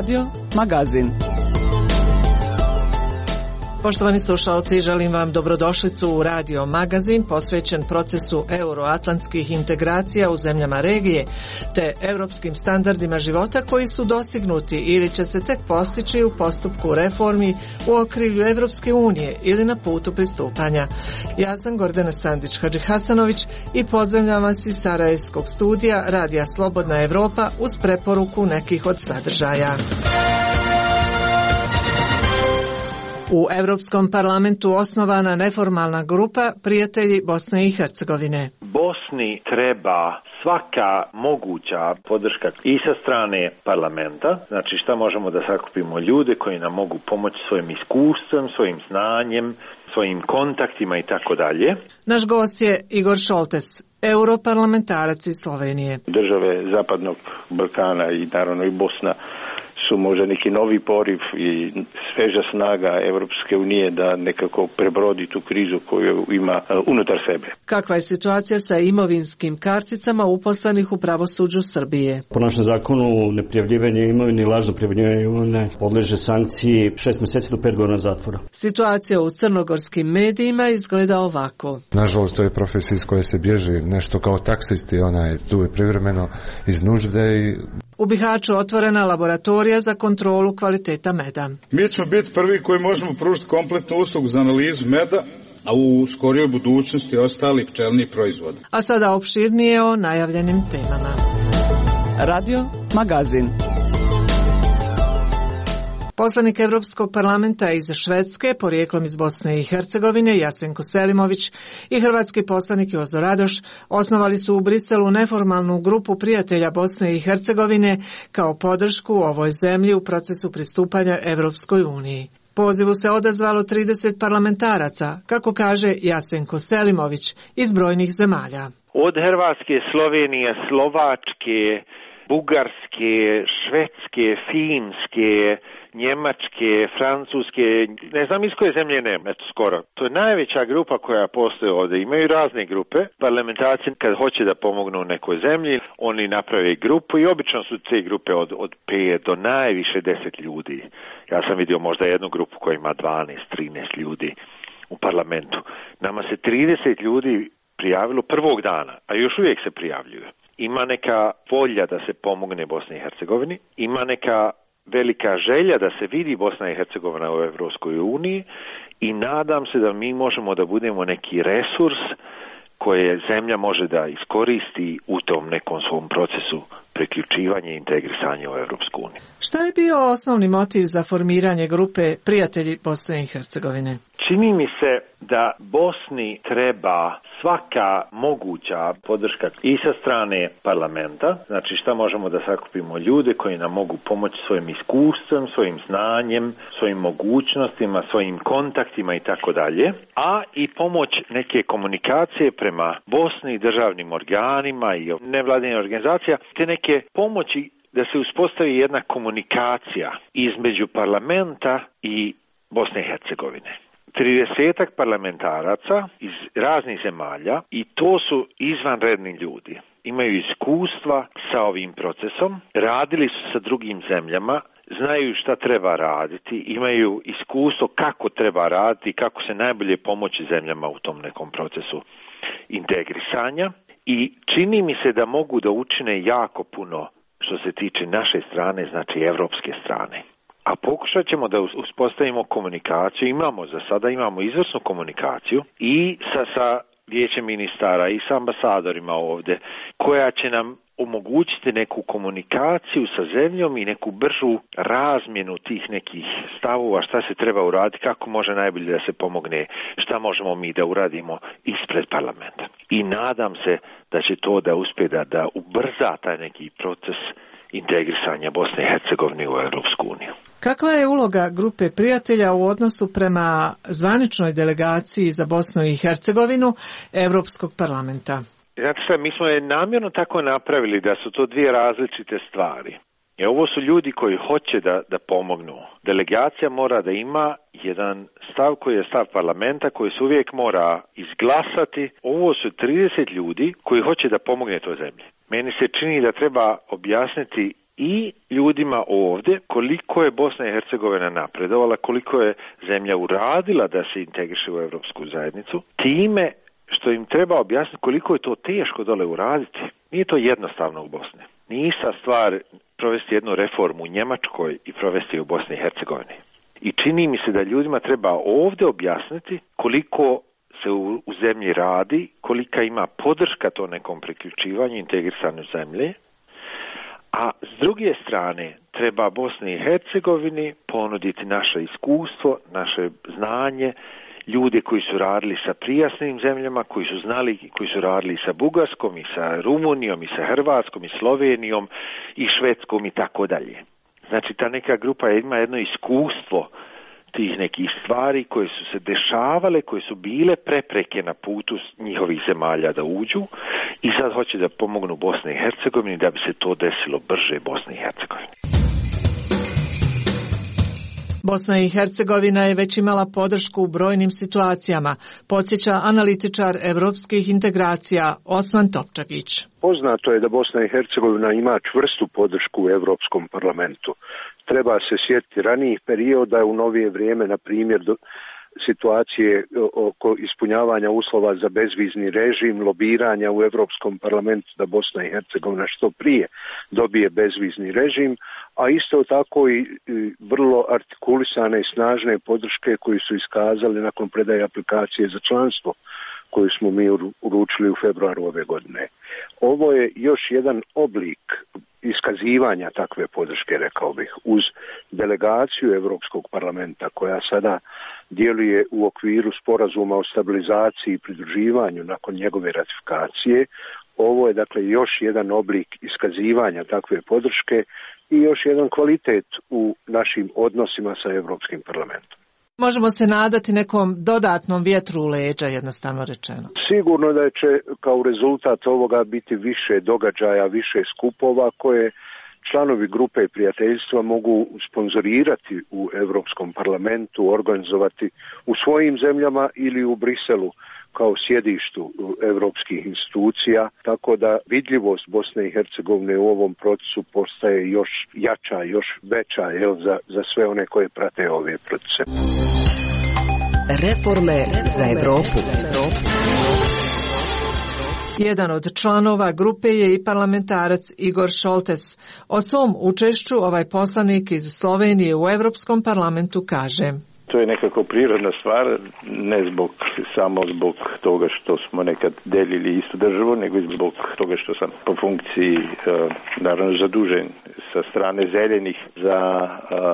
Radio Magazin. Poštovani slušalci, želim vam dobrodošlicu u Radio Magazin posvećen procesu euroatlantskih integracija u zemljama regije te europskim standardima života koji su dostignuti ili će se tek postići u postupku reformi u okrilju Evropske unije ili na putu pristupanja. Ja sam Gordana Sandić-Hadžihasanović i pozdravljam vas iz Sarajevskog studija Radija Slobodna Evropa uz preporuku nekih od sadržaja. U Europskom parlamentu osnovana neformalna grupa Prijatelji Bosne i Hercegovine. Bosni treba svaka moguća podrška i sa strane parlamenta, znači šta možemo da sakupimo ljude koji nam mogu pomoći svojim iskustvom, svojim znanjem, svojim kontaktima i tako dalje. Naš gost je Igor Šoltes, europarlamentarac iz Slovenije. Države Zapadnog Balkana i naravno i Bosna su možda neki novi poriv i sveža snaga Evropske unije da nekako prebrodi tu krizu koju ima unutar sebe. Kakva je situacija sa imovinskim karticama uposlenih u pravosuđu Srbije? Po našem zakonu neprijavljivanje imovine i lažno prijavljivanje imovine podleže sankciji 6 mjeseci do 5 godina zatvora. Situacija u crnogorskim medijima izgleda ovako. Nažalost, to je profesija iz koje se bježi nešto kao taksisti, ona je tu je privremeno iz nužde i u Bihaću otvorena laboratorija za kontrolu kvaliteta meda. Mi ćemo biti prvi koji možemo pružiti kompletnu uslugu za analizu meda, a u skorijoj budućnosti ostalih pčelnih proizvoda. A sada opširnije o najavljenim temama. Radio Magazin. Poslanik Evropskog parlamenta iz Švedske, porijeklom iz Bosne i Hercegovine, Jasenko Selimović i hrvatski poslanik Jozo Radoš osnovali su u Briselu neformalnu grupu prijatelja Bosne i Hercegovine kao podršku ovoj zemlji u procesu pristupanja Evropskoj uniji. Pozivu se odazvalo 30 parlamentaraca, kako kaže Jasenko Selimović, iz brojnih zemalja. Od Hrvatske, Slovenije, Slovačke, Bugarske, Švedske, Finske, Njemačke, Francuske, ne znam iz koje zemlje nema, eto skoro. To je najveća grupa koja postoji ovdje. Imaju razne grupe. Parlamentarci kad hoće da pomognu nekoj zemlji, oni naprave grupu i obično su te grupe od 5 do najviše 10 ljudi. Ja sam vidio možda jednu grupu koja ima 12-13 ljudi u parlamentu. Nama se 30 ljudi prijavilo prvog dana, a još uvijek se prijavljuju. Ima neka volja da se pomogne Bosni i Hercegovini, ima neka velika želja da se vidi Bosna i Hercegovina u Evropskoj uniji i nadam se da mi možemo da budemo neki resurs koje zemlja može da iskoristi u tom nekom svom procesu priključivanja i integrisanja u Evropsku uniju. Šta je bio osnovni motiv za formiranje grupe Prijatelji Bosne i Hercegovine? Čini mi se da Bosni treba svaka moguća podrška i sa strane parlamenta, znači šta možemo da sakupimo ljude koji nam mogu pomoći svojim iskustvom, svojim znanjem, svojim mogućnostima, svojim kontaktima i tako dalje, a i pomoć neke komunikacije prema Bosni, državnim organima i nevladinim organizacija, te neke pomoći da se uspostavi jedna komunikacija između parlamenta i Bosne i Hercegovine. 30 parlamentaraca iz raznih zemalja i to su izvanredni ljudi. Imaju iskustva sa ovim procesom, radili su sa drugim zemljama, znaju šta treba raditi, imaju iskustvo kako treba raditi, kako se najbolje pomoći zemljama u tom nekom procesu integrisanja i čini mi se da mogu da učine jako puno što se tiče naše strane, znači evropske strane. A pokušat ćemo da uspostavimo komunikaciju, za sada imamo izvrsnu komunikaciju i sa vijećem ministara i sa ambasadorima ovdje, koja će nam omogućiti neku komunikaciju sa zemljom i neku bržu razmjenu tih nekih stavova, šta se treba uraditi, kako može najbolje da se pomogne, šta možemo mi da uradimo ispred parlamenta. I nadam se da će to da uspije da ubrza taj neki proces integrisanja Bosne i Hercegovine u Europsku uniju. Kakva je uloga grupe prijatelja u odnosu prema zvaničnoj delegaciji za Bosnu i Hercegovinu Europskog parlamenta? Znate šta, mi smo je namjerno tako napravili da su to dvije različite stvari. Jer ovo su ljudi koji hoće da pomognu. Delegacija mora da ima jedan stav koji je stav parlamenta, koji se uvijek mora izglasati. Ovo su 30 ljudi koji hoće da pomogne toj zemlji. Meni se čini da treba objasniti i ljudima ovdje koliko je Bosna i Hercegovina napredovala, koliko je zemlja uradila da se integriše u Europsku zajednicu, time što im treba objasniti koliko je to teško dole uraditi. Nije to jednostavno u Bosni. Nije ista stvar provesti jednu reformu u Njemačkoj i provesti u Bosni i Hercegovini. I čini mi se da ljudima treba ovdje objasniti koliko se u zemlji radi, kolika ima podrška to nekom priključivanju, integrisanju zemlje, a s druge strane treba Bosni i Hercegovini ponuditi naše iskustvo, naše znanje, ljude koji su radili sa prijasnim zemljama, koji su znali, koji su radili sa Bugarskom i sa Rumunijom i sa Hrvatskom i Slovenijom i Švedskom i tako dalje. Znači ta neka grupa ima jedno iskustvo tih nekih stvari koje su se dešavale, koje su bile prepreke na putu njihovih zemalja da uđu i sad hoće da pomognu Bosni i Hercegovini da bi se to desilo brže Bosni i Hercegovini. Bosna i Hercegovina je već imala podršku u brojnim situacijama, podsjeća analitičar evropskih integracija Osman Topčagić. Poznato je da Bosna i Hercegovina ima čvrstu podršku u Europskom parlamentu. Treba se sjetiti ranijih perioda u novije vrijeme, na primjer situacije oko ispunjavanja uslova za bezvizni režim, lobiranja u Europskom parlamentu da Bosna i Hercegovina što prije dobije bezvizni režim, a isto tako i vrlo artikulisane i snažne podrške koji su iskazali nakon predaje aplikacije za članstvo koju smo mi uručili u februaru ove godine. Ovo je još jedan oblik iskazivanja takve podrške, rekao bih, uz delegaciju Europskog parlamenta koja sada djeluje u okviru sporazuma o stabilizaciji i pridruživanju nakon njegove ratifikacije. Ovo je dakle još jedan oblik iskazivanja takve podrške i još jedan kvalitet u našim odnosima sa Europskim parlamentom. Možemo se nadati nekom dodatnom vjetru u leđa, jednostavno rečeno. Sigurno da će kao rezultat ovoga biti više događaja, više skupova koje članovi grupe prijateljstva mogu sponzorirati u Europskom parlamentu, organizovati u svojim zemljama ili u Briselu kao sjedištu europskih institucija, tako da vidljivost Bosne i Hercegovine u ovom procesu postaje još jača, još veća za sve one koje prate ove procese. Reforme za Evropu. Jedan od članova grupe je i parlamentarac Igor Šoltes. O svom učešću ovaj poslanik iz Slovenije u Europskom parlamentu kaže: To je nekako prirodna stvar, ne samo zbog toga što smo nekad delili istu državu, nego i zbog toga što sam po funkciji naravno zadužen sa strane zelenih za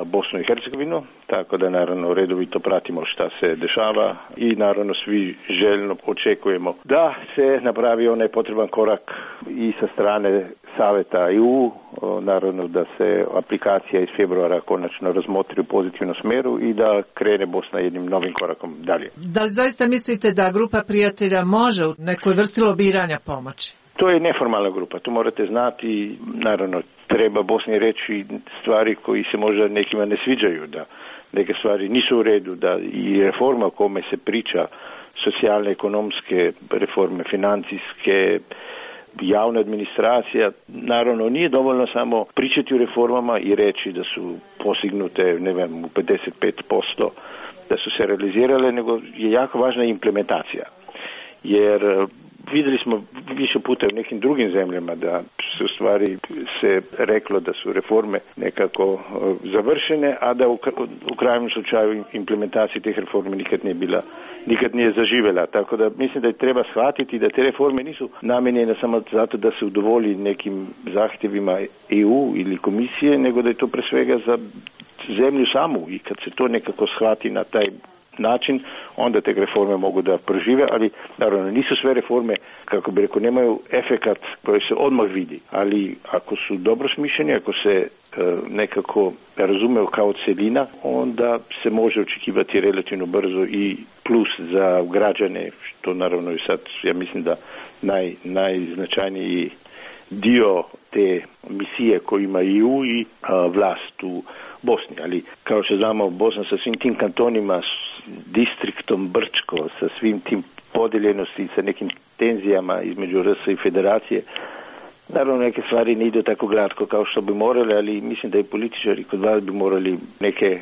Bosnu i Hercegovinu, tako da naravno redovito pratimo šta se dešava i naravno svi željno očekujemo da se napravi onaj potreban korak i sa strane Saveta EU, naravno da se aplikacija iz februara konačno razmotri u pozitivnom smjeru i da krene Bosna jednim novim korakom dalje. Da li zaista mislite da grupa prijatelja može u nekoj vrsti lobiranja pomoći? To je neformalna grupa, to morate znati, naravno treba Bosni reći stvari koji se možda nekima ne sviđaju, da neke stvari nisu u redu, da i reforma o kome se priča, socijalne, ekonomske reforme, financijske, javna administracija, naravno nije dovoljno samo pričati o reformama i reći da su postignute, ne znam, u 55%, da su se realizirale, nego je jako važna implementacija. Jer vidjeli smo više puta u nekim drugim zemljama da su u stvari se reklo da su reforme nekako završene, a da u krajnjem slučaju implementacija tih reformi nikad nije zaživjela. Tako da mislim da treba shvatiti da te reforme nisu namijenjene samo zato da se udovolji nekim zahtjevima EU ili komisije, nego da je to pre svega za zemlju samu i kad se to nekako shvati na taj način, onda te reforme mogu da prožive, ali naravno nisu sve reforme, kako bi rekao, nemaju efekat koji se odmah vidi, ali ako su dobro smišljeni, ako se nekako razumeju kao celina, onda se može očekivati relativno brzo i plus za građane, što naravno i sad, ja mislim da najznačajniji dio te misije koju ima EU i vlast u Bosni, ali kao što znamo, Bosna sa svim tim kantonima, distriktom Brčko, sa svim tim podijeljenosti, sa nekim tenzijama između RS i federacije, naravno neke stvari ne idu tako glatko kao što bi morali, ali mislim da i političari kod vas bi morali neke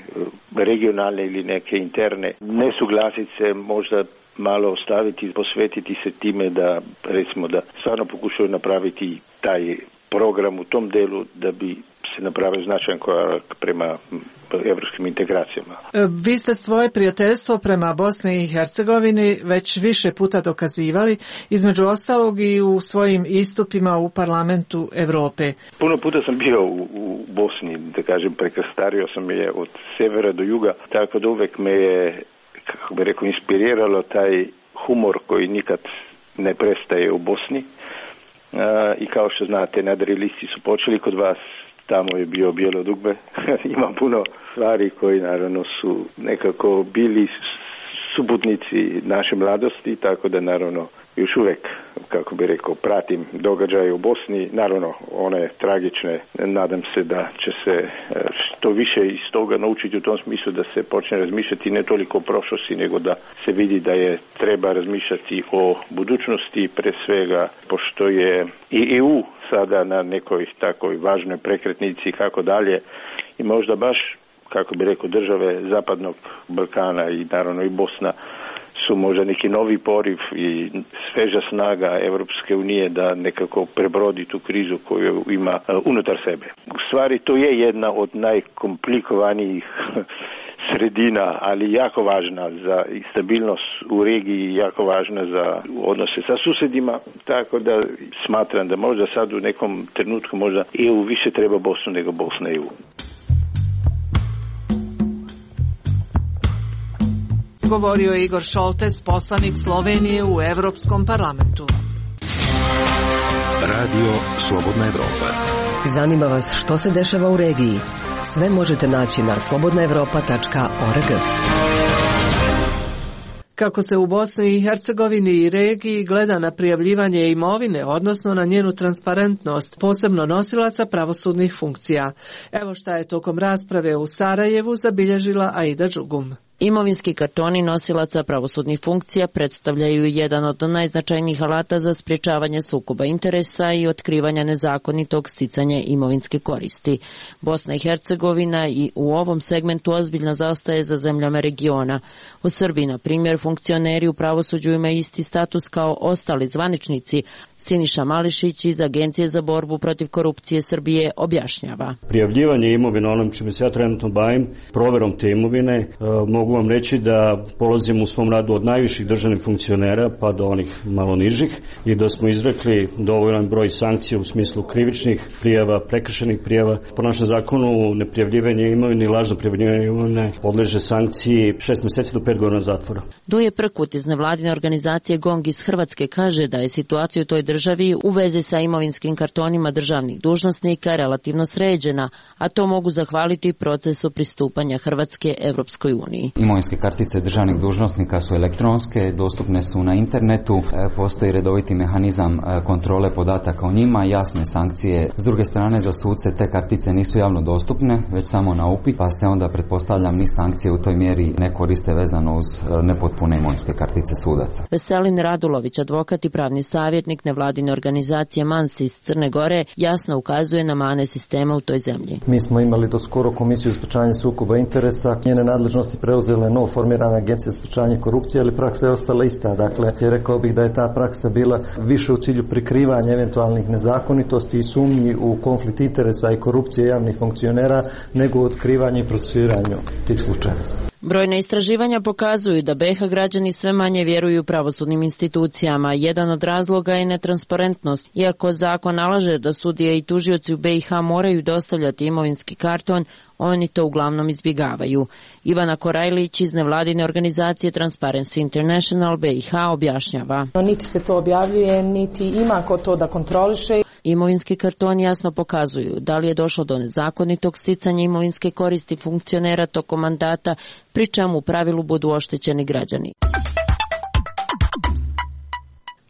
regionalne ili neke interne nesuglasice možda malo ostaviti, posvetiti se time da, recimo, da stvarno pokušaju napraviti taj program u tom delu da bi se napravio značajan korak prema evropskim integracijama. Vi ste svoje prijateljstvo prema Bosni i Hercegovini već više puta dokazivali, između ostalog i u svojim istupima u Parlamentu Evrope. Puno puta sam bio u Bosni, da kažem, prekrstario sam je od severa do juga, tako da uvek me je, kako bi rekao, inspiriralo taj humor koji nikad ne prestaje u Bosni. I kao što znate, nadrealisti su počeli kod vas, tamo je bio Bijelo dugme. Ima puno stvari koji naravno su nekako bili suputnici naše mladosti, tako da naravno još uvek, kako bi rekao, pratim događaje u Bosni, naravno one tragične, nadam se da će se što više iz toga naučiti u tom smislu da se počne razmišljati ne toliko o prošlosti, nego da se vidi da je treba razmišljati o budućnosti, pre svega pošto je i EU sada na nekoj takoj važnoj prekretnici kako dalje i možda baš, kako bi rekao, države Zapadnog Balkana i naravno i Bosna su možda neki novi poriv i sveža snaga Evropske unije da nekako prebrodi tu krizu koju ima unutar sebe. U stvari to je jedna od najkomplikovanijih sredina, ali jako važna za stabilnost u regiji, jako važna za odnose sa susjedima, tako da smatram da možda sad u nekom trenutku možda EU više treba Bosnu nego Bosna EU. Govorio je Igor Šoltes, poslanik Slovenije u Evropskom parlamentu. Radio Slobodna Evropa. Zanima vas što se dešava u regiji? Sve možete naći na slobodnaevropa.org. Kako se u Bosni i Hercegovini i regiji gleda na prijavljivanje imovine, odnosno na njenu transparentnost, posebno nosilaca pravosudnih funkcija. Evo šta je tokom rasprave u Sarajevu zabilježila Aida Đugum. Imovinski kartoni nosilaca pravosudnih funkcija predstavljaju jedan od najznačajnijih alata za sprječavanje sukoba interesa i otkrivanja nezakonitog sticanja imovinske koristi. Bosna i Hercegovina i u ovom segmentu ozbiljno zaostaje za zemljama regiona. U Srbiji, na primjer, funkcioneri u pravosuđu imaju isti status kao ostali zvaničnici. Siniša Mališić iz Agencije za borbu protiv korupcije Srbije objašnjava. Prijavljivanje imovine, onom čime se ja trenutno bavim, proverom te imovine, mogu vam reći da polazim u svom radu od najviših državnih funkcionera pa do onih malo nižih i da smo izrekli dovoljan broj sankcija u smislu krivičnih prijava, prekršenih prijava. Po našem zakonu neprijavljivanje imovine i lažno prijavljivanje imovine podleže sankciji 6 mjeseci do 5 godina zatvora. Duje Prkut iz nevladine organizacije GONG iz Hrvatske kaže da je situacija u toj državi u vezi sa imovinskim kartonima državnih dužnosnika relativno sređena, a to mogu zahvaliti procesu pristupanja Hrvatske Evropskoj uniji. Imovinske kartice državnih dužnosnika su elektronske, dostupne su na internetu, postoji redoviti mehanizam kontrole podataka o njima, jasne sankcije. S druge strane, za suce te kartice nisu javno dostupne, već samo na upit, pa se onda, pretpostavljam, ni sankcije u toj mjeri ne koriste vezano uz nepotpune imovinske kartice sudaca. Veselin Radulović, advokat i pravni savjetnik nevladine organizacije MANS iz Crne Gore, jasno ukazuje na mane sistema u toj zemlji. Mi smo imali do skoro Komisiju za sprečavanje sukoba interesa, njene nadležnosti preuzeli preuzela novo formirana agencija za sprečavanje korupcije, ali praksa je ostala ista. Dakle, rekao bih da je ta praksa bila više u cilju prikrivanja eventualnih nezakonitosti i sumnji u konflikt interesa i korupcije javnih funkcionera, nego u otkrivanju i procesuiranju tih slučajeva. Brojne istraživanja pokazuju da BiH građani sve manje vjeruju pravosudnim institucijama. Jedan od razloga je netransparentnost. Iako zakon nalaže da sudije i tužioci u BiH moraju dostavljati imovinski karton, oni to uglavnom izbjegavaju. Ivana Korajlić iz nevladine organizacije Transparency International BiH objašnjava. Niti se to objavljuje, niti ima ko to da kontroliše. Imovinski kartoni jasno pokazuju da li je došlo do nezakonitog sticanja imovinske koristi funkcionera tokom mandata, pri čemu u pravilu budu oštećeni građani.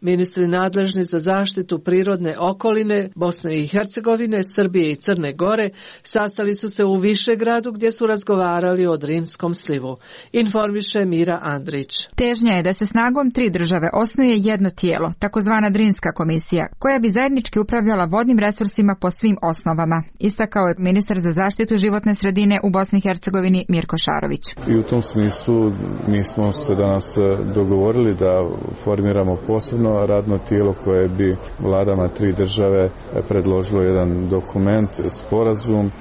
Ministri nadležni za zaštitu prirodne okoline Bosne i Hercegovine, Srbije i Crne Gore sastali su se u Višegradu gdje su razgovarali o Drinskom slivu. Informiše Mira Andrić. Težnja je da se snagom 3 države osnuje jedno tijelo, takozvana Drinska komisija, koja bi zajednički upravljala vodnim resursima po svim osnovama, istakao je ministar za zaštitu životne sredine u Bosni i Hercegovini Mirko Šarović. I u tom smislu mi smo se danas dogovorili da formiramo posebno radno tijelo koje bi vladama 3 države predložilo jedan dokument, sporazum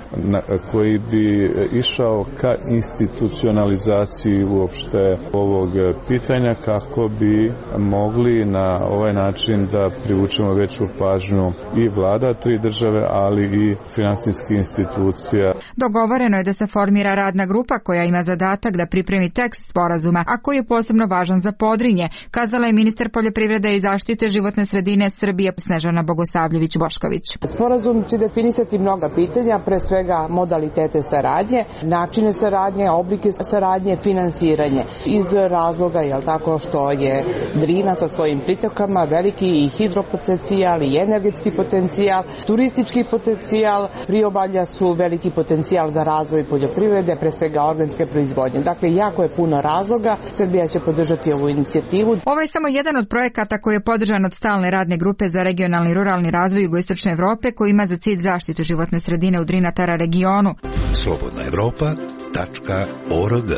koji bi išao ka institucionalizaciji uopšte ovog pitanja kako bi mogli na ovaj način da privučemo veću pažnju i vlada 3 države, ali i finansijskih institucija. Dogovoreno je da se formira radna grupa koja ima zadatak da pripremi tekst sporazuma, a koji je posebno važan za Podrinje, kazala je ministar poljoprivrede i zaštite životne sredine Srbije Snežana Bogosavljević-Bošković. Sporazum će definisati mnoga pitanja, pre svega modalitete saradnje, načine saradnje, oblike saradnje, finansiranje. Iz razloga, tako što je Drina sa svojim pritokama veliki i hidropotencijal i energetski potencijal, turistički potencijal, priobalja su veliki potencijal za razvoj poljoprivrede, pre svega organske proizvodnje. Dakle, jako je puno razloga. Srbija će podržati ovu inicijativu. Ovo je samo jedan od projekata koji je podržan od stalne radne grupe za regionalni i ruralni razvoj Jugoistočne Evrope, koji ima za cilj zaštitu životne sredine u Drinatara regionu. slobodnaevropa.org.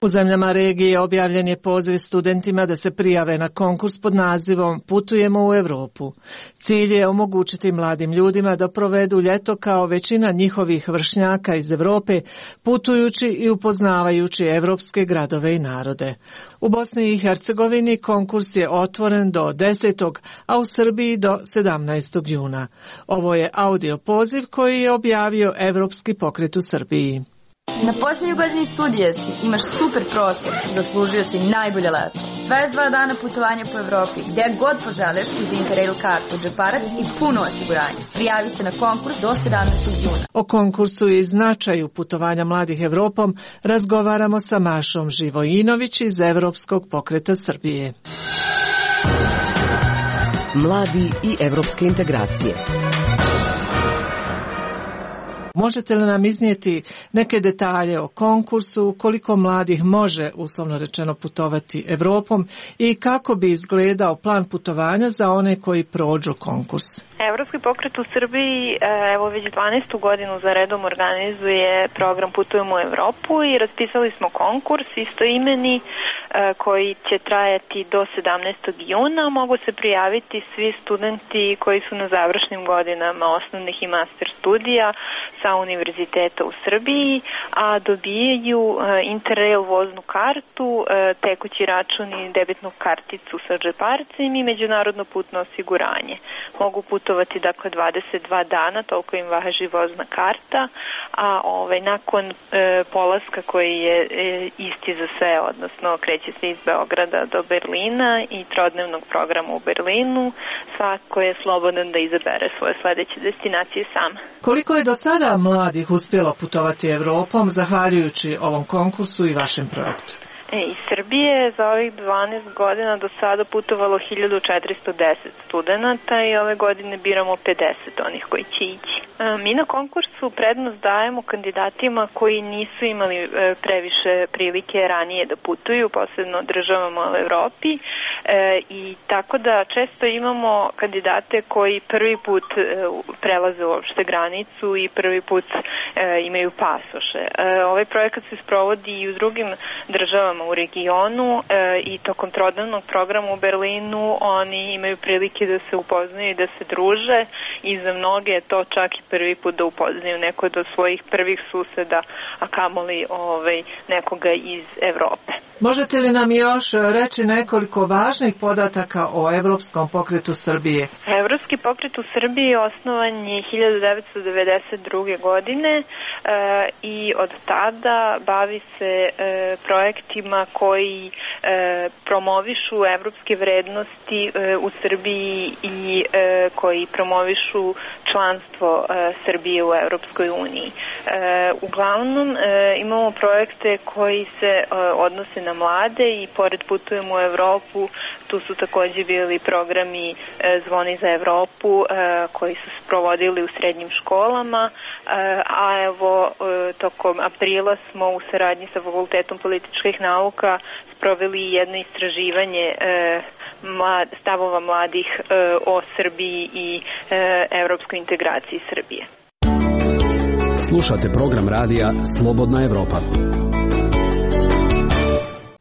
U zemljama regije objavljen je poziv studentima da se prijave na konkurs pod nazivom Putujemo u Europu. Cilj je omogućiti mladim ljudima da provedu ljeto kao većina njihovih vršnjaka iz Europe, putujući i upoznavajući evropske gradove i narode. U Bosni i Hercegovini konkurs je otvoren do 10. a u Srbiji do 17. juna. Ovo je audio poziv koji je objavio Evropski pokret u Srbiji. Na posljednjoj godini studija si, imaš super prosjek, zaslužio si najbolje leto. 22 dana putovanja po Evropi, gdje god poželeš uz Interrail kartu, džeparac i puno osiguranje. Prijavi se na konkurs do 17. juna. O konkursu i značaju putovanja mladih Evropom razgovaramo sa Mašom Živojinović iz Evropskog pokreta Srbije. Mladi i evropske integracije. Možete li nam iznijeti neke detalje o konkursu, koliko mladih može, uslovno rečeno, putovati Evropom i kako bi izgledao plan putovanja za one koji prođu konkurs? Evropski pokret u Srbiji evo već 12. godinu za redom organizuje program Putujemo u Evropu i raspisali smo konkurs istoimeni koji će trajati do 17. juna. Mogu se prijaviti svi studenti koji su na završnim godinama osnovnih i master studija sa univerziteta u Srbiji, a dobijaju Interrail voznu kartu, tekući račun i debitnu karticu sa džeparcem i međunarodno putno osiguranje. Mogu putovati dakle 22 dana, toliko im važi vozna karta, a nakon polaska koji je isti za sve, odnosno kreće se iz Beograda do Berlina i trodnevnog programa u Berlinu, svako je slobodan da izabere svoje sledeće destinacije sam. Koliko je do sada mladih uspjelo putovati Evropom zahvaljujući ovom konkursu i vašem projektu? Iz Srbije za ovih 12 godina do sada putovalo 1410 studenta i ove godine biramo 50 onih koji će ići. Mi na konkursu prednost dajemo kandidatima koji nisu imali previše prilike ranije da putuju, posebno državama u Evropi, i tako da često imamo kandidate koji prvi put prelaze uopšte granicu i prvi put imaju pasoše. Ovaj projekat se sprovodi i u drugim državama u regionu i tokom trodnevnog programa u Berlinu oni imaju prilike da se upoznaju i da se druže i za mnoge je to čak i prvi put da upoznaju neko od svojih prvih suseda, a kamoli nekoga iz Evrope. Možete li nam još reći nekoliko važnih podataka o Evropskom pokretu Srbije? Evropski pokret u Srbiji osnovan je 1992. godine i od tada bavi se projektima koji promovišu evropske vrednosti u Srbiji i koji promovišu članstvo Srbije u Evropskoj uniji. Uglavnom imamo projekte koji se odnose na mlade i pored Putujemo u Evropu, tu su takođe bili programi Zvoni za Evropu koji su se provodili u srednjim školama, a evo tokom aprila smo u saradnji sa Fakultetom političkih nauka sproveli jedno istraživanje stavova mladih o Srbiji i evropskoj integraciji Srbije. Slušate program radija Slobodna Evropa.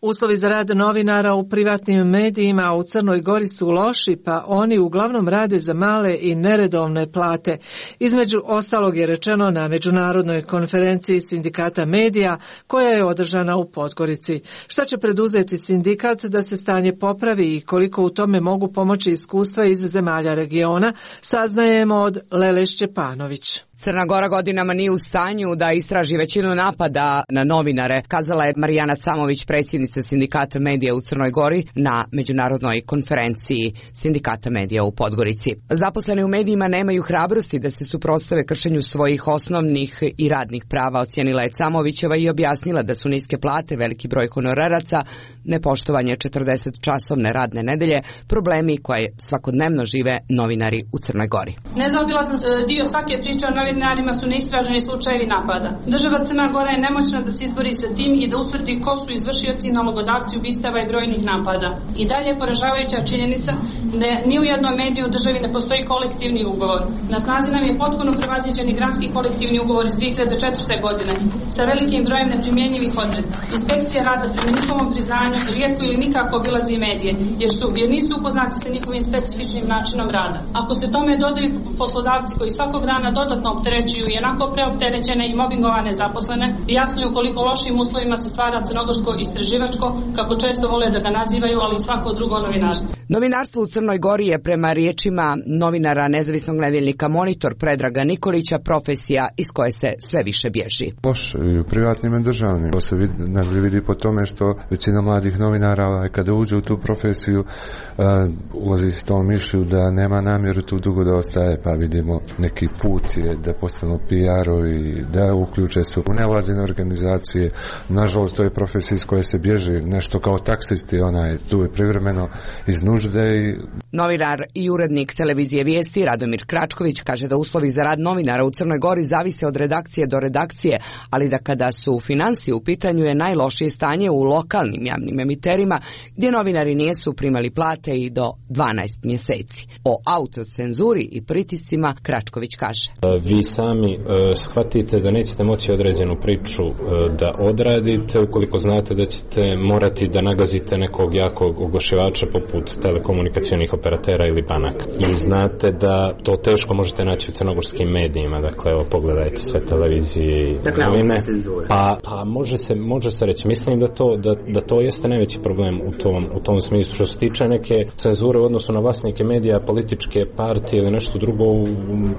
Uslovi za rad novinara u privatnim medijima u Crnoj Gori su loši, pa oni uglavnom rade za male i neredovne plate. Između ostalog je rečeno na međunarodnoj konferenciji sindikata medija koja je održana u Podgorici. Šta će preduzeti sindikat da se stanje popravi i koliko u tome mogu pomoći iskustva iz zemalja regiona, saznajemo od Lele Šćepanović. Crna Gora godinama nije u stanju da istraži većinu napada na novinare, kazala je Marijana Camović, predsjednica sindikata medija u Crnoj Gori na međunarodnoj konferenciji sindikata medija u Podgorici. Zaposleni u medijima nemaju hrabrosti da se suprotstave kršenju svojih osnovnih i radnih prava, ocijenila je Camovićeva i objasnila da su niske plate, veliki broj honoraraca, nepoštovanje 40-časovne radne nedelje, problemi koje svakodnevno žive novinari u Crnoj Gori. Nezaobilazan dio svake priče o novinarima su neistraženi slučajevi napada. Država Crna Gora je nemoćna da se izbori sa tim i da utvrdi ko su izvršioci i nalogodavci ubistava i brojnih napada. I dalje je poražavajuća činjenica da ni u jednom mediju u državi ne postoji kolektivni ugovor. Na snazi nam je potpuno prevaziđeni granski kolektivni ugovor iz 2004. godine sa velikim brojem neprimjenjivih odredbi. Inspekcija rada prema njihovom priznanju rijetko ili nikako obilazi medije jer nisu upoznati sa njihovim specifičnim načinom rada. Ako se tome dodaju poslodavci koji svakog dana dodatno opterećuju i onako preopterećene i mobingovane zaposlene, jasno je u koliko lošim uslovima se stvara crnogorsko istraživačko, kako često vole da ga nazivaju, ali i svako drugo novinarstvo. Novinarstvo u Crnoj Gori je prema riječima novinara nezavisnog nedeljnika Monitor Predraga Nikolića profesija iz koje se sve više bježi. Loš i u privatnim i državnim. To se vidi po tome što većina mladih novinara kada uđe u tu profesiju ulazi s tom mišlju da nema namjeru tu dugo da ostaje, pa vidimo neki put je da postanu PR-ovi, da uključe se u nevladine organizacije. Nažalost, to je profesija iz koje se bježi, nešto kao taksisti, tu je privremeno iz nužde. Novinar i urednik televizije Vijesti Radomir Kračković kaže da uslovi za rad novinara u Crnoj Gori zavise od redakcije do redakcije, ali da kada su finansije u pitanju je najlošije stanje u lokalnim javnim emiterima gdje novinari nisu primali plate i do 12 mjeseci. O autocenzuri i pritiscima Kračković kaže. Vi sami shvatite da nećete moći određenu priču da odradite ukoliko znate da ćete morati da nagazite nekog jakog oglašivača poput telekomunikacionih operatera ili banaka. I znate da to teško možete naći u crnogorskim medijima. Dakle, evo, pogledajte sve televizije i novine. Pa može se reći. Mislim da to jeste najveći problem u tom smislu. Što se tiče neke cenzure u odnosu na vlasnike medija, političke partije ili nešto drugo,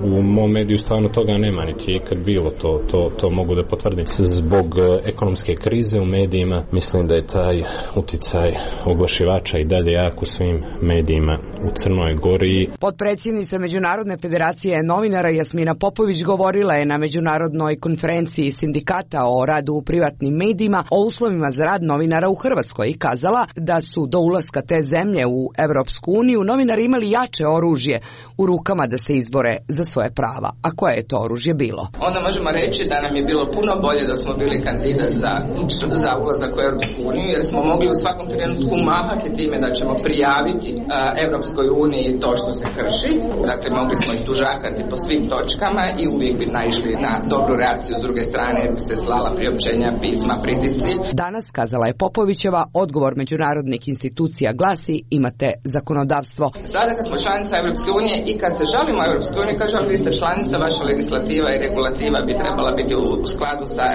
u mom mediju stvarno toga nema, niti je ikad bilo. To mogu da potvrdim. Zbog ekonomske krize u medijima mislim da je taj uticaj oglašivača i dalje jak u svim medijima u Crnoj Gori. Potpredsjednica Međunarodne federacije novinara Jasmina Popović govorila je na međunarodnoj konferenciji sindikata o radu u privatnim medijima o uslovima za rad novinara u Hrvatskoj i kazala da su do ulaska te zemlje u Evropsku uniju novinari imali jače oružje u rukama da se izbore za svoje prava. A koje je to oružje bilo? Onda možemo reći da nam je bilo puno bolje da smo bili kandidat za ulazak u Evropsku uniju, jer smo mogli u svakom trenutku mahati time da ćemo prijaviti Evropskoj uniji to što se krši. Dakle, mogli smo ih tužakati po svim točkama i uvijek bi naišli na dobru reakciju s druge strane, jer bi se slala priopćenja, pisma, pritisci. Danas, kazala je Popovićeva, odgovor međunarodnih institucija glasi: imate zakonodavstvo. Sada kad smo članica Evropske unije i kad se žalimo Evropskoj uniji, kažemo vi ste članica, vaša legislativa i regulativa bi trebala biti u skladu sa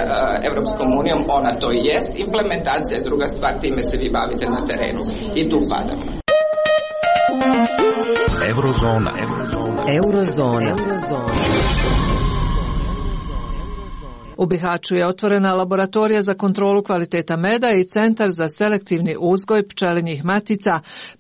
Evropskom unijom, ona to i jest. Implementacija je druga stvar, time se vi bavite na terenu i tu padamo. Eurozona. U Bihaću je otvorena laboratorija za kontrolu kvaliteta meda i centar za selektivni uzgoj pčelinjih matica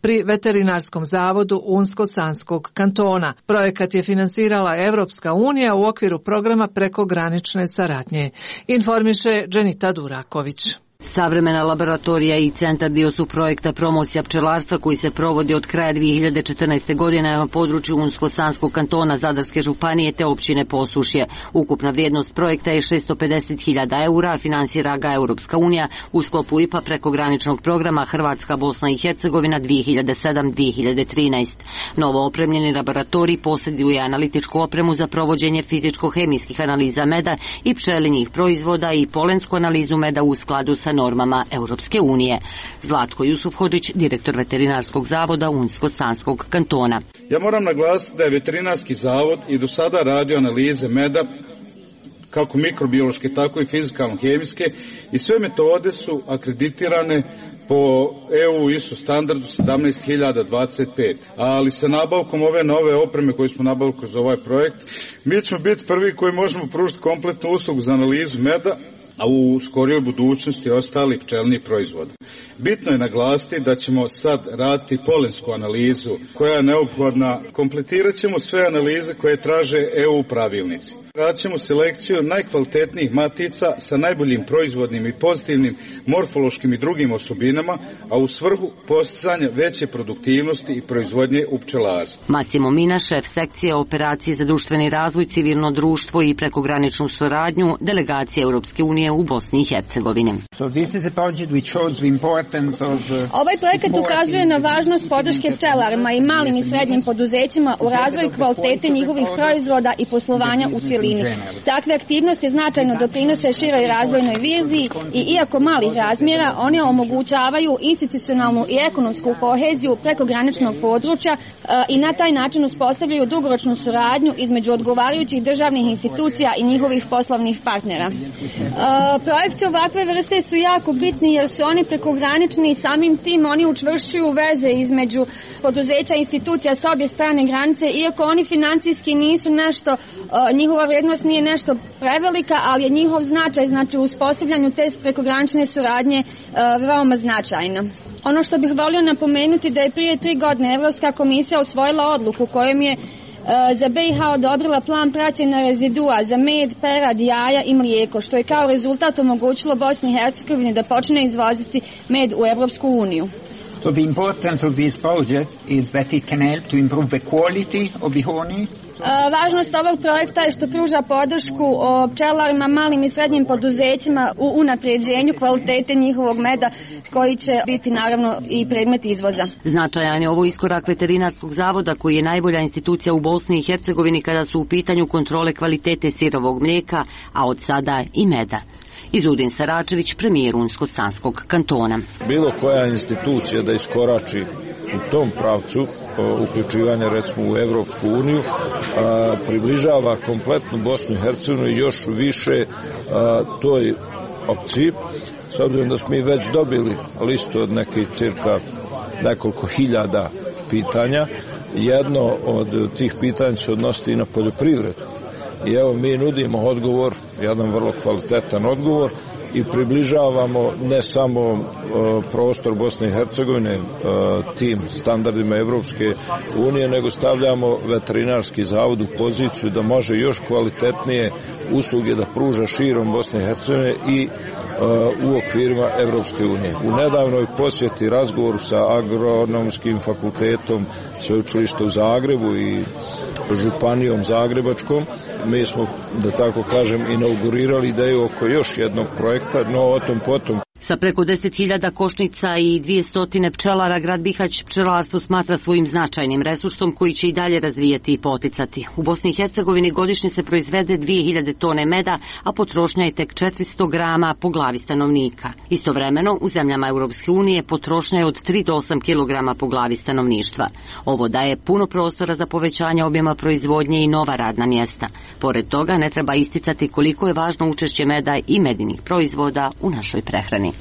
pri Veterinarskom zavodu Unsko-Sanskog kantona. Projekat je finansirala Evropska unija u okviru programa prekogranične saradnje. Informiše Dženita Duraković. Savremena laboratorija i centar dio su projekta promocija pčelarstva koji se provodi od kraja 2014. godine na području Unsko-Sanskog kantona Zadarske županije te općine Posušje. Ukupna vrijednost projekta je 650.000 eura, a finansira ga Europska unija u sklopu IPA prekograničnog programa Hrvatska, Bosna i Hercegovina 2007-2013. Novo opremljeni laboratorij posjeduje analitičku opremu za provođenje fizičko-hemijskih analiza meda i pčelinjih proizvoda i polensku analizu meda u skladu sa normama Europske unije. Zlatko Jusufhodžić, direktor Veterinarskog zavoda Unsko-Sanskog kantona. Ja moram naglasiti da je Veterinarski zavod i do sada radio analize meda kako mikrobiološke, tako i fizikalno-hemijske i sve metode su akreditirane po EU ISO standardu 17025, ali sa nabavkom ove nove opreme koju smo nabavili kroz ovaj projekt, mi ćemo biti prvi koji možemo pružiti kompletnu uslugu za analizu meda, a u skorijoj budućnosti ostalih pčelnih proizvoda. Bitno je naglasiti da ćemo sad raditi polensku analizu koja je neophodna. Kompletirat ćemo sve analize koje traže EU pravilnici. Radit ćemo selekciju najkvalitetnijih matica sa najboljim proizvodnim i pozitivnim morfološkim i drugim osobinama, a u svrhu postizanja veće produktivnosti i proizvodnje u pčelarstvu. Massimo Mina, šef sekcije operacije za društveni razvoj, civilno društvo i prekograničnu suradnju delegacije Europske unije u Bosni i Hercegovini. Ovaj projekat ukazuje na važnost podrške pčelarima i malim i srednjim poduzećima u razvoju kvalitete njihovih proizvoda i poslovanja u cjelini. Takve aktivnosti značajno doprinose široj razvojnoj viziji i iako malih razmjera, one omogućavaju institucionalnu i ekonomsku koheziju prekograničnog područja i na taj način uspostavljaju dugoročnu suradnju između odgovarajućih državnih institucija i njihovih poslovnih partnera. Projekti ovakve vrste su jako bitni jer su oni prekogranični i samim tim oni učvršćuju veze između poduzeća i institucija s obje strane granice, iako oni financijski nisu nešto, njihova vrijednost nije nešto prevelika, ali je njihov značaj, znači u uspostavljanju te prekogranične suradnje veoma značajna. Ono što bih volio napomenuti da je prije 3 godine Evropska komisija usvojila odluku kojom je za BiH odobrila plan praćenja rezidua za med, perad, jaja i mlijeko, što je kao rezultat omogućilo Bosni i Hercegovini da počne izvoziti med u Evropsku uniju. So the importance of this project is that it can help to improve the quality of the honey. Važnost ovog projekta je što pruža podršku pčelarima, malim i srednjim poduzećima u unapređenju kvalitete njihovog meda koji će biti naravno i predmet izvoza. Značajan je ovo iskorak Veterinarskog zavoda koji je najbolja institucija u Bosni i Hercegovini kada su u pitanju kontrole kvalitete sirovog mlijeka, a od sada i meda. Izudin Saračević, premijer Unsko-Sanskog kantona. Bilo koja institucija da iskorači u tom pravcu uključivanja recimo u Evropsku uniju približava kompletnu Bosnu i Hercegovinu i još više toj opciji, s obzirom da smo mi već dobili listu od nekih cirka nekoliko hiljada pitanja. Jedno od tih pitanja se odnosi i na poljoprivredu. I evo mi nudimo odgovor, jedan vrlo kvalitetan odgovor i približavamo ne samo prostor Bosne i Hercegovine tim standardima Evropske unije, nego stavljamo veterinarski zavod u poziciju da može još kvalitetnije usluge da pruža širom Bosne i Hercegovine i u okvirima Evropske unije. U nedavnoj posjeti razgovoru sa Agronomskim fakultetom Sveučilišta u Zagrebu i Županijom Zagrebačkom, mi smo, da tako kažem, inaugurirali ideju oko još jednog projekta, no o tom potom. Sa preko 10.000 košnica i 200 pčelara, grad Bihać pčelarstvo smatra svojim značajnim resursom koji će i dalje razvijati i poticati. U Bosni i Hercegovini godišnje se proizvede 2000 tone meda, a potrošnja je tek 400 grama po glavi stanovnika. Istovremeno, u zemljama Europske unije potrošnja je od 3 do 8 kg po glavi stanovništva. Ovo daje puno prostora za povećanje objema proizvodnje i nova radna mjesta. Pored toga, ne treba isticati koliko je važno učešće meda i medinih proizvoda u našoj prehrani.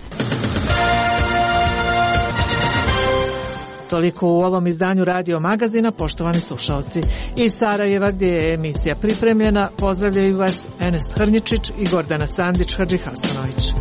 Toliko u ovom izdanju Radio Magazina, poštovani slušalci. Iz Sarajeva, gdje je emisija pripremljena, pozdravljaju vas Enes Hrnjičić i Gordana Sandić-Hadžihasanović.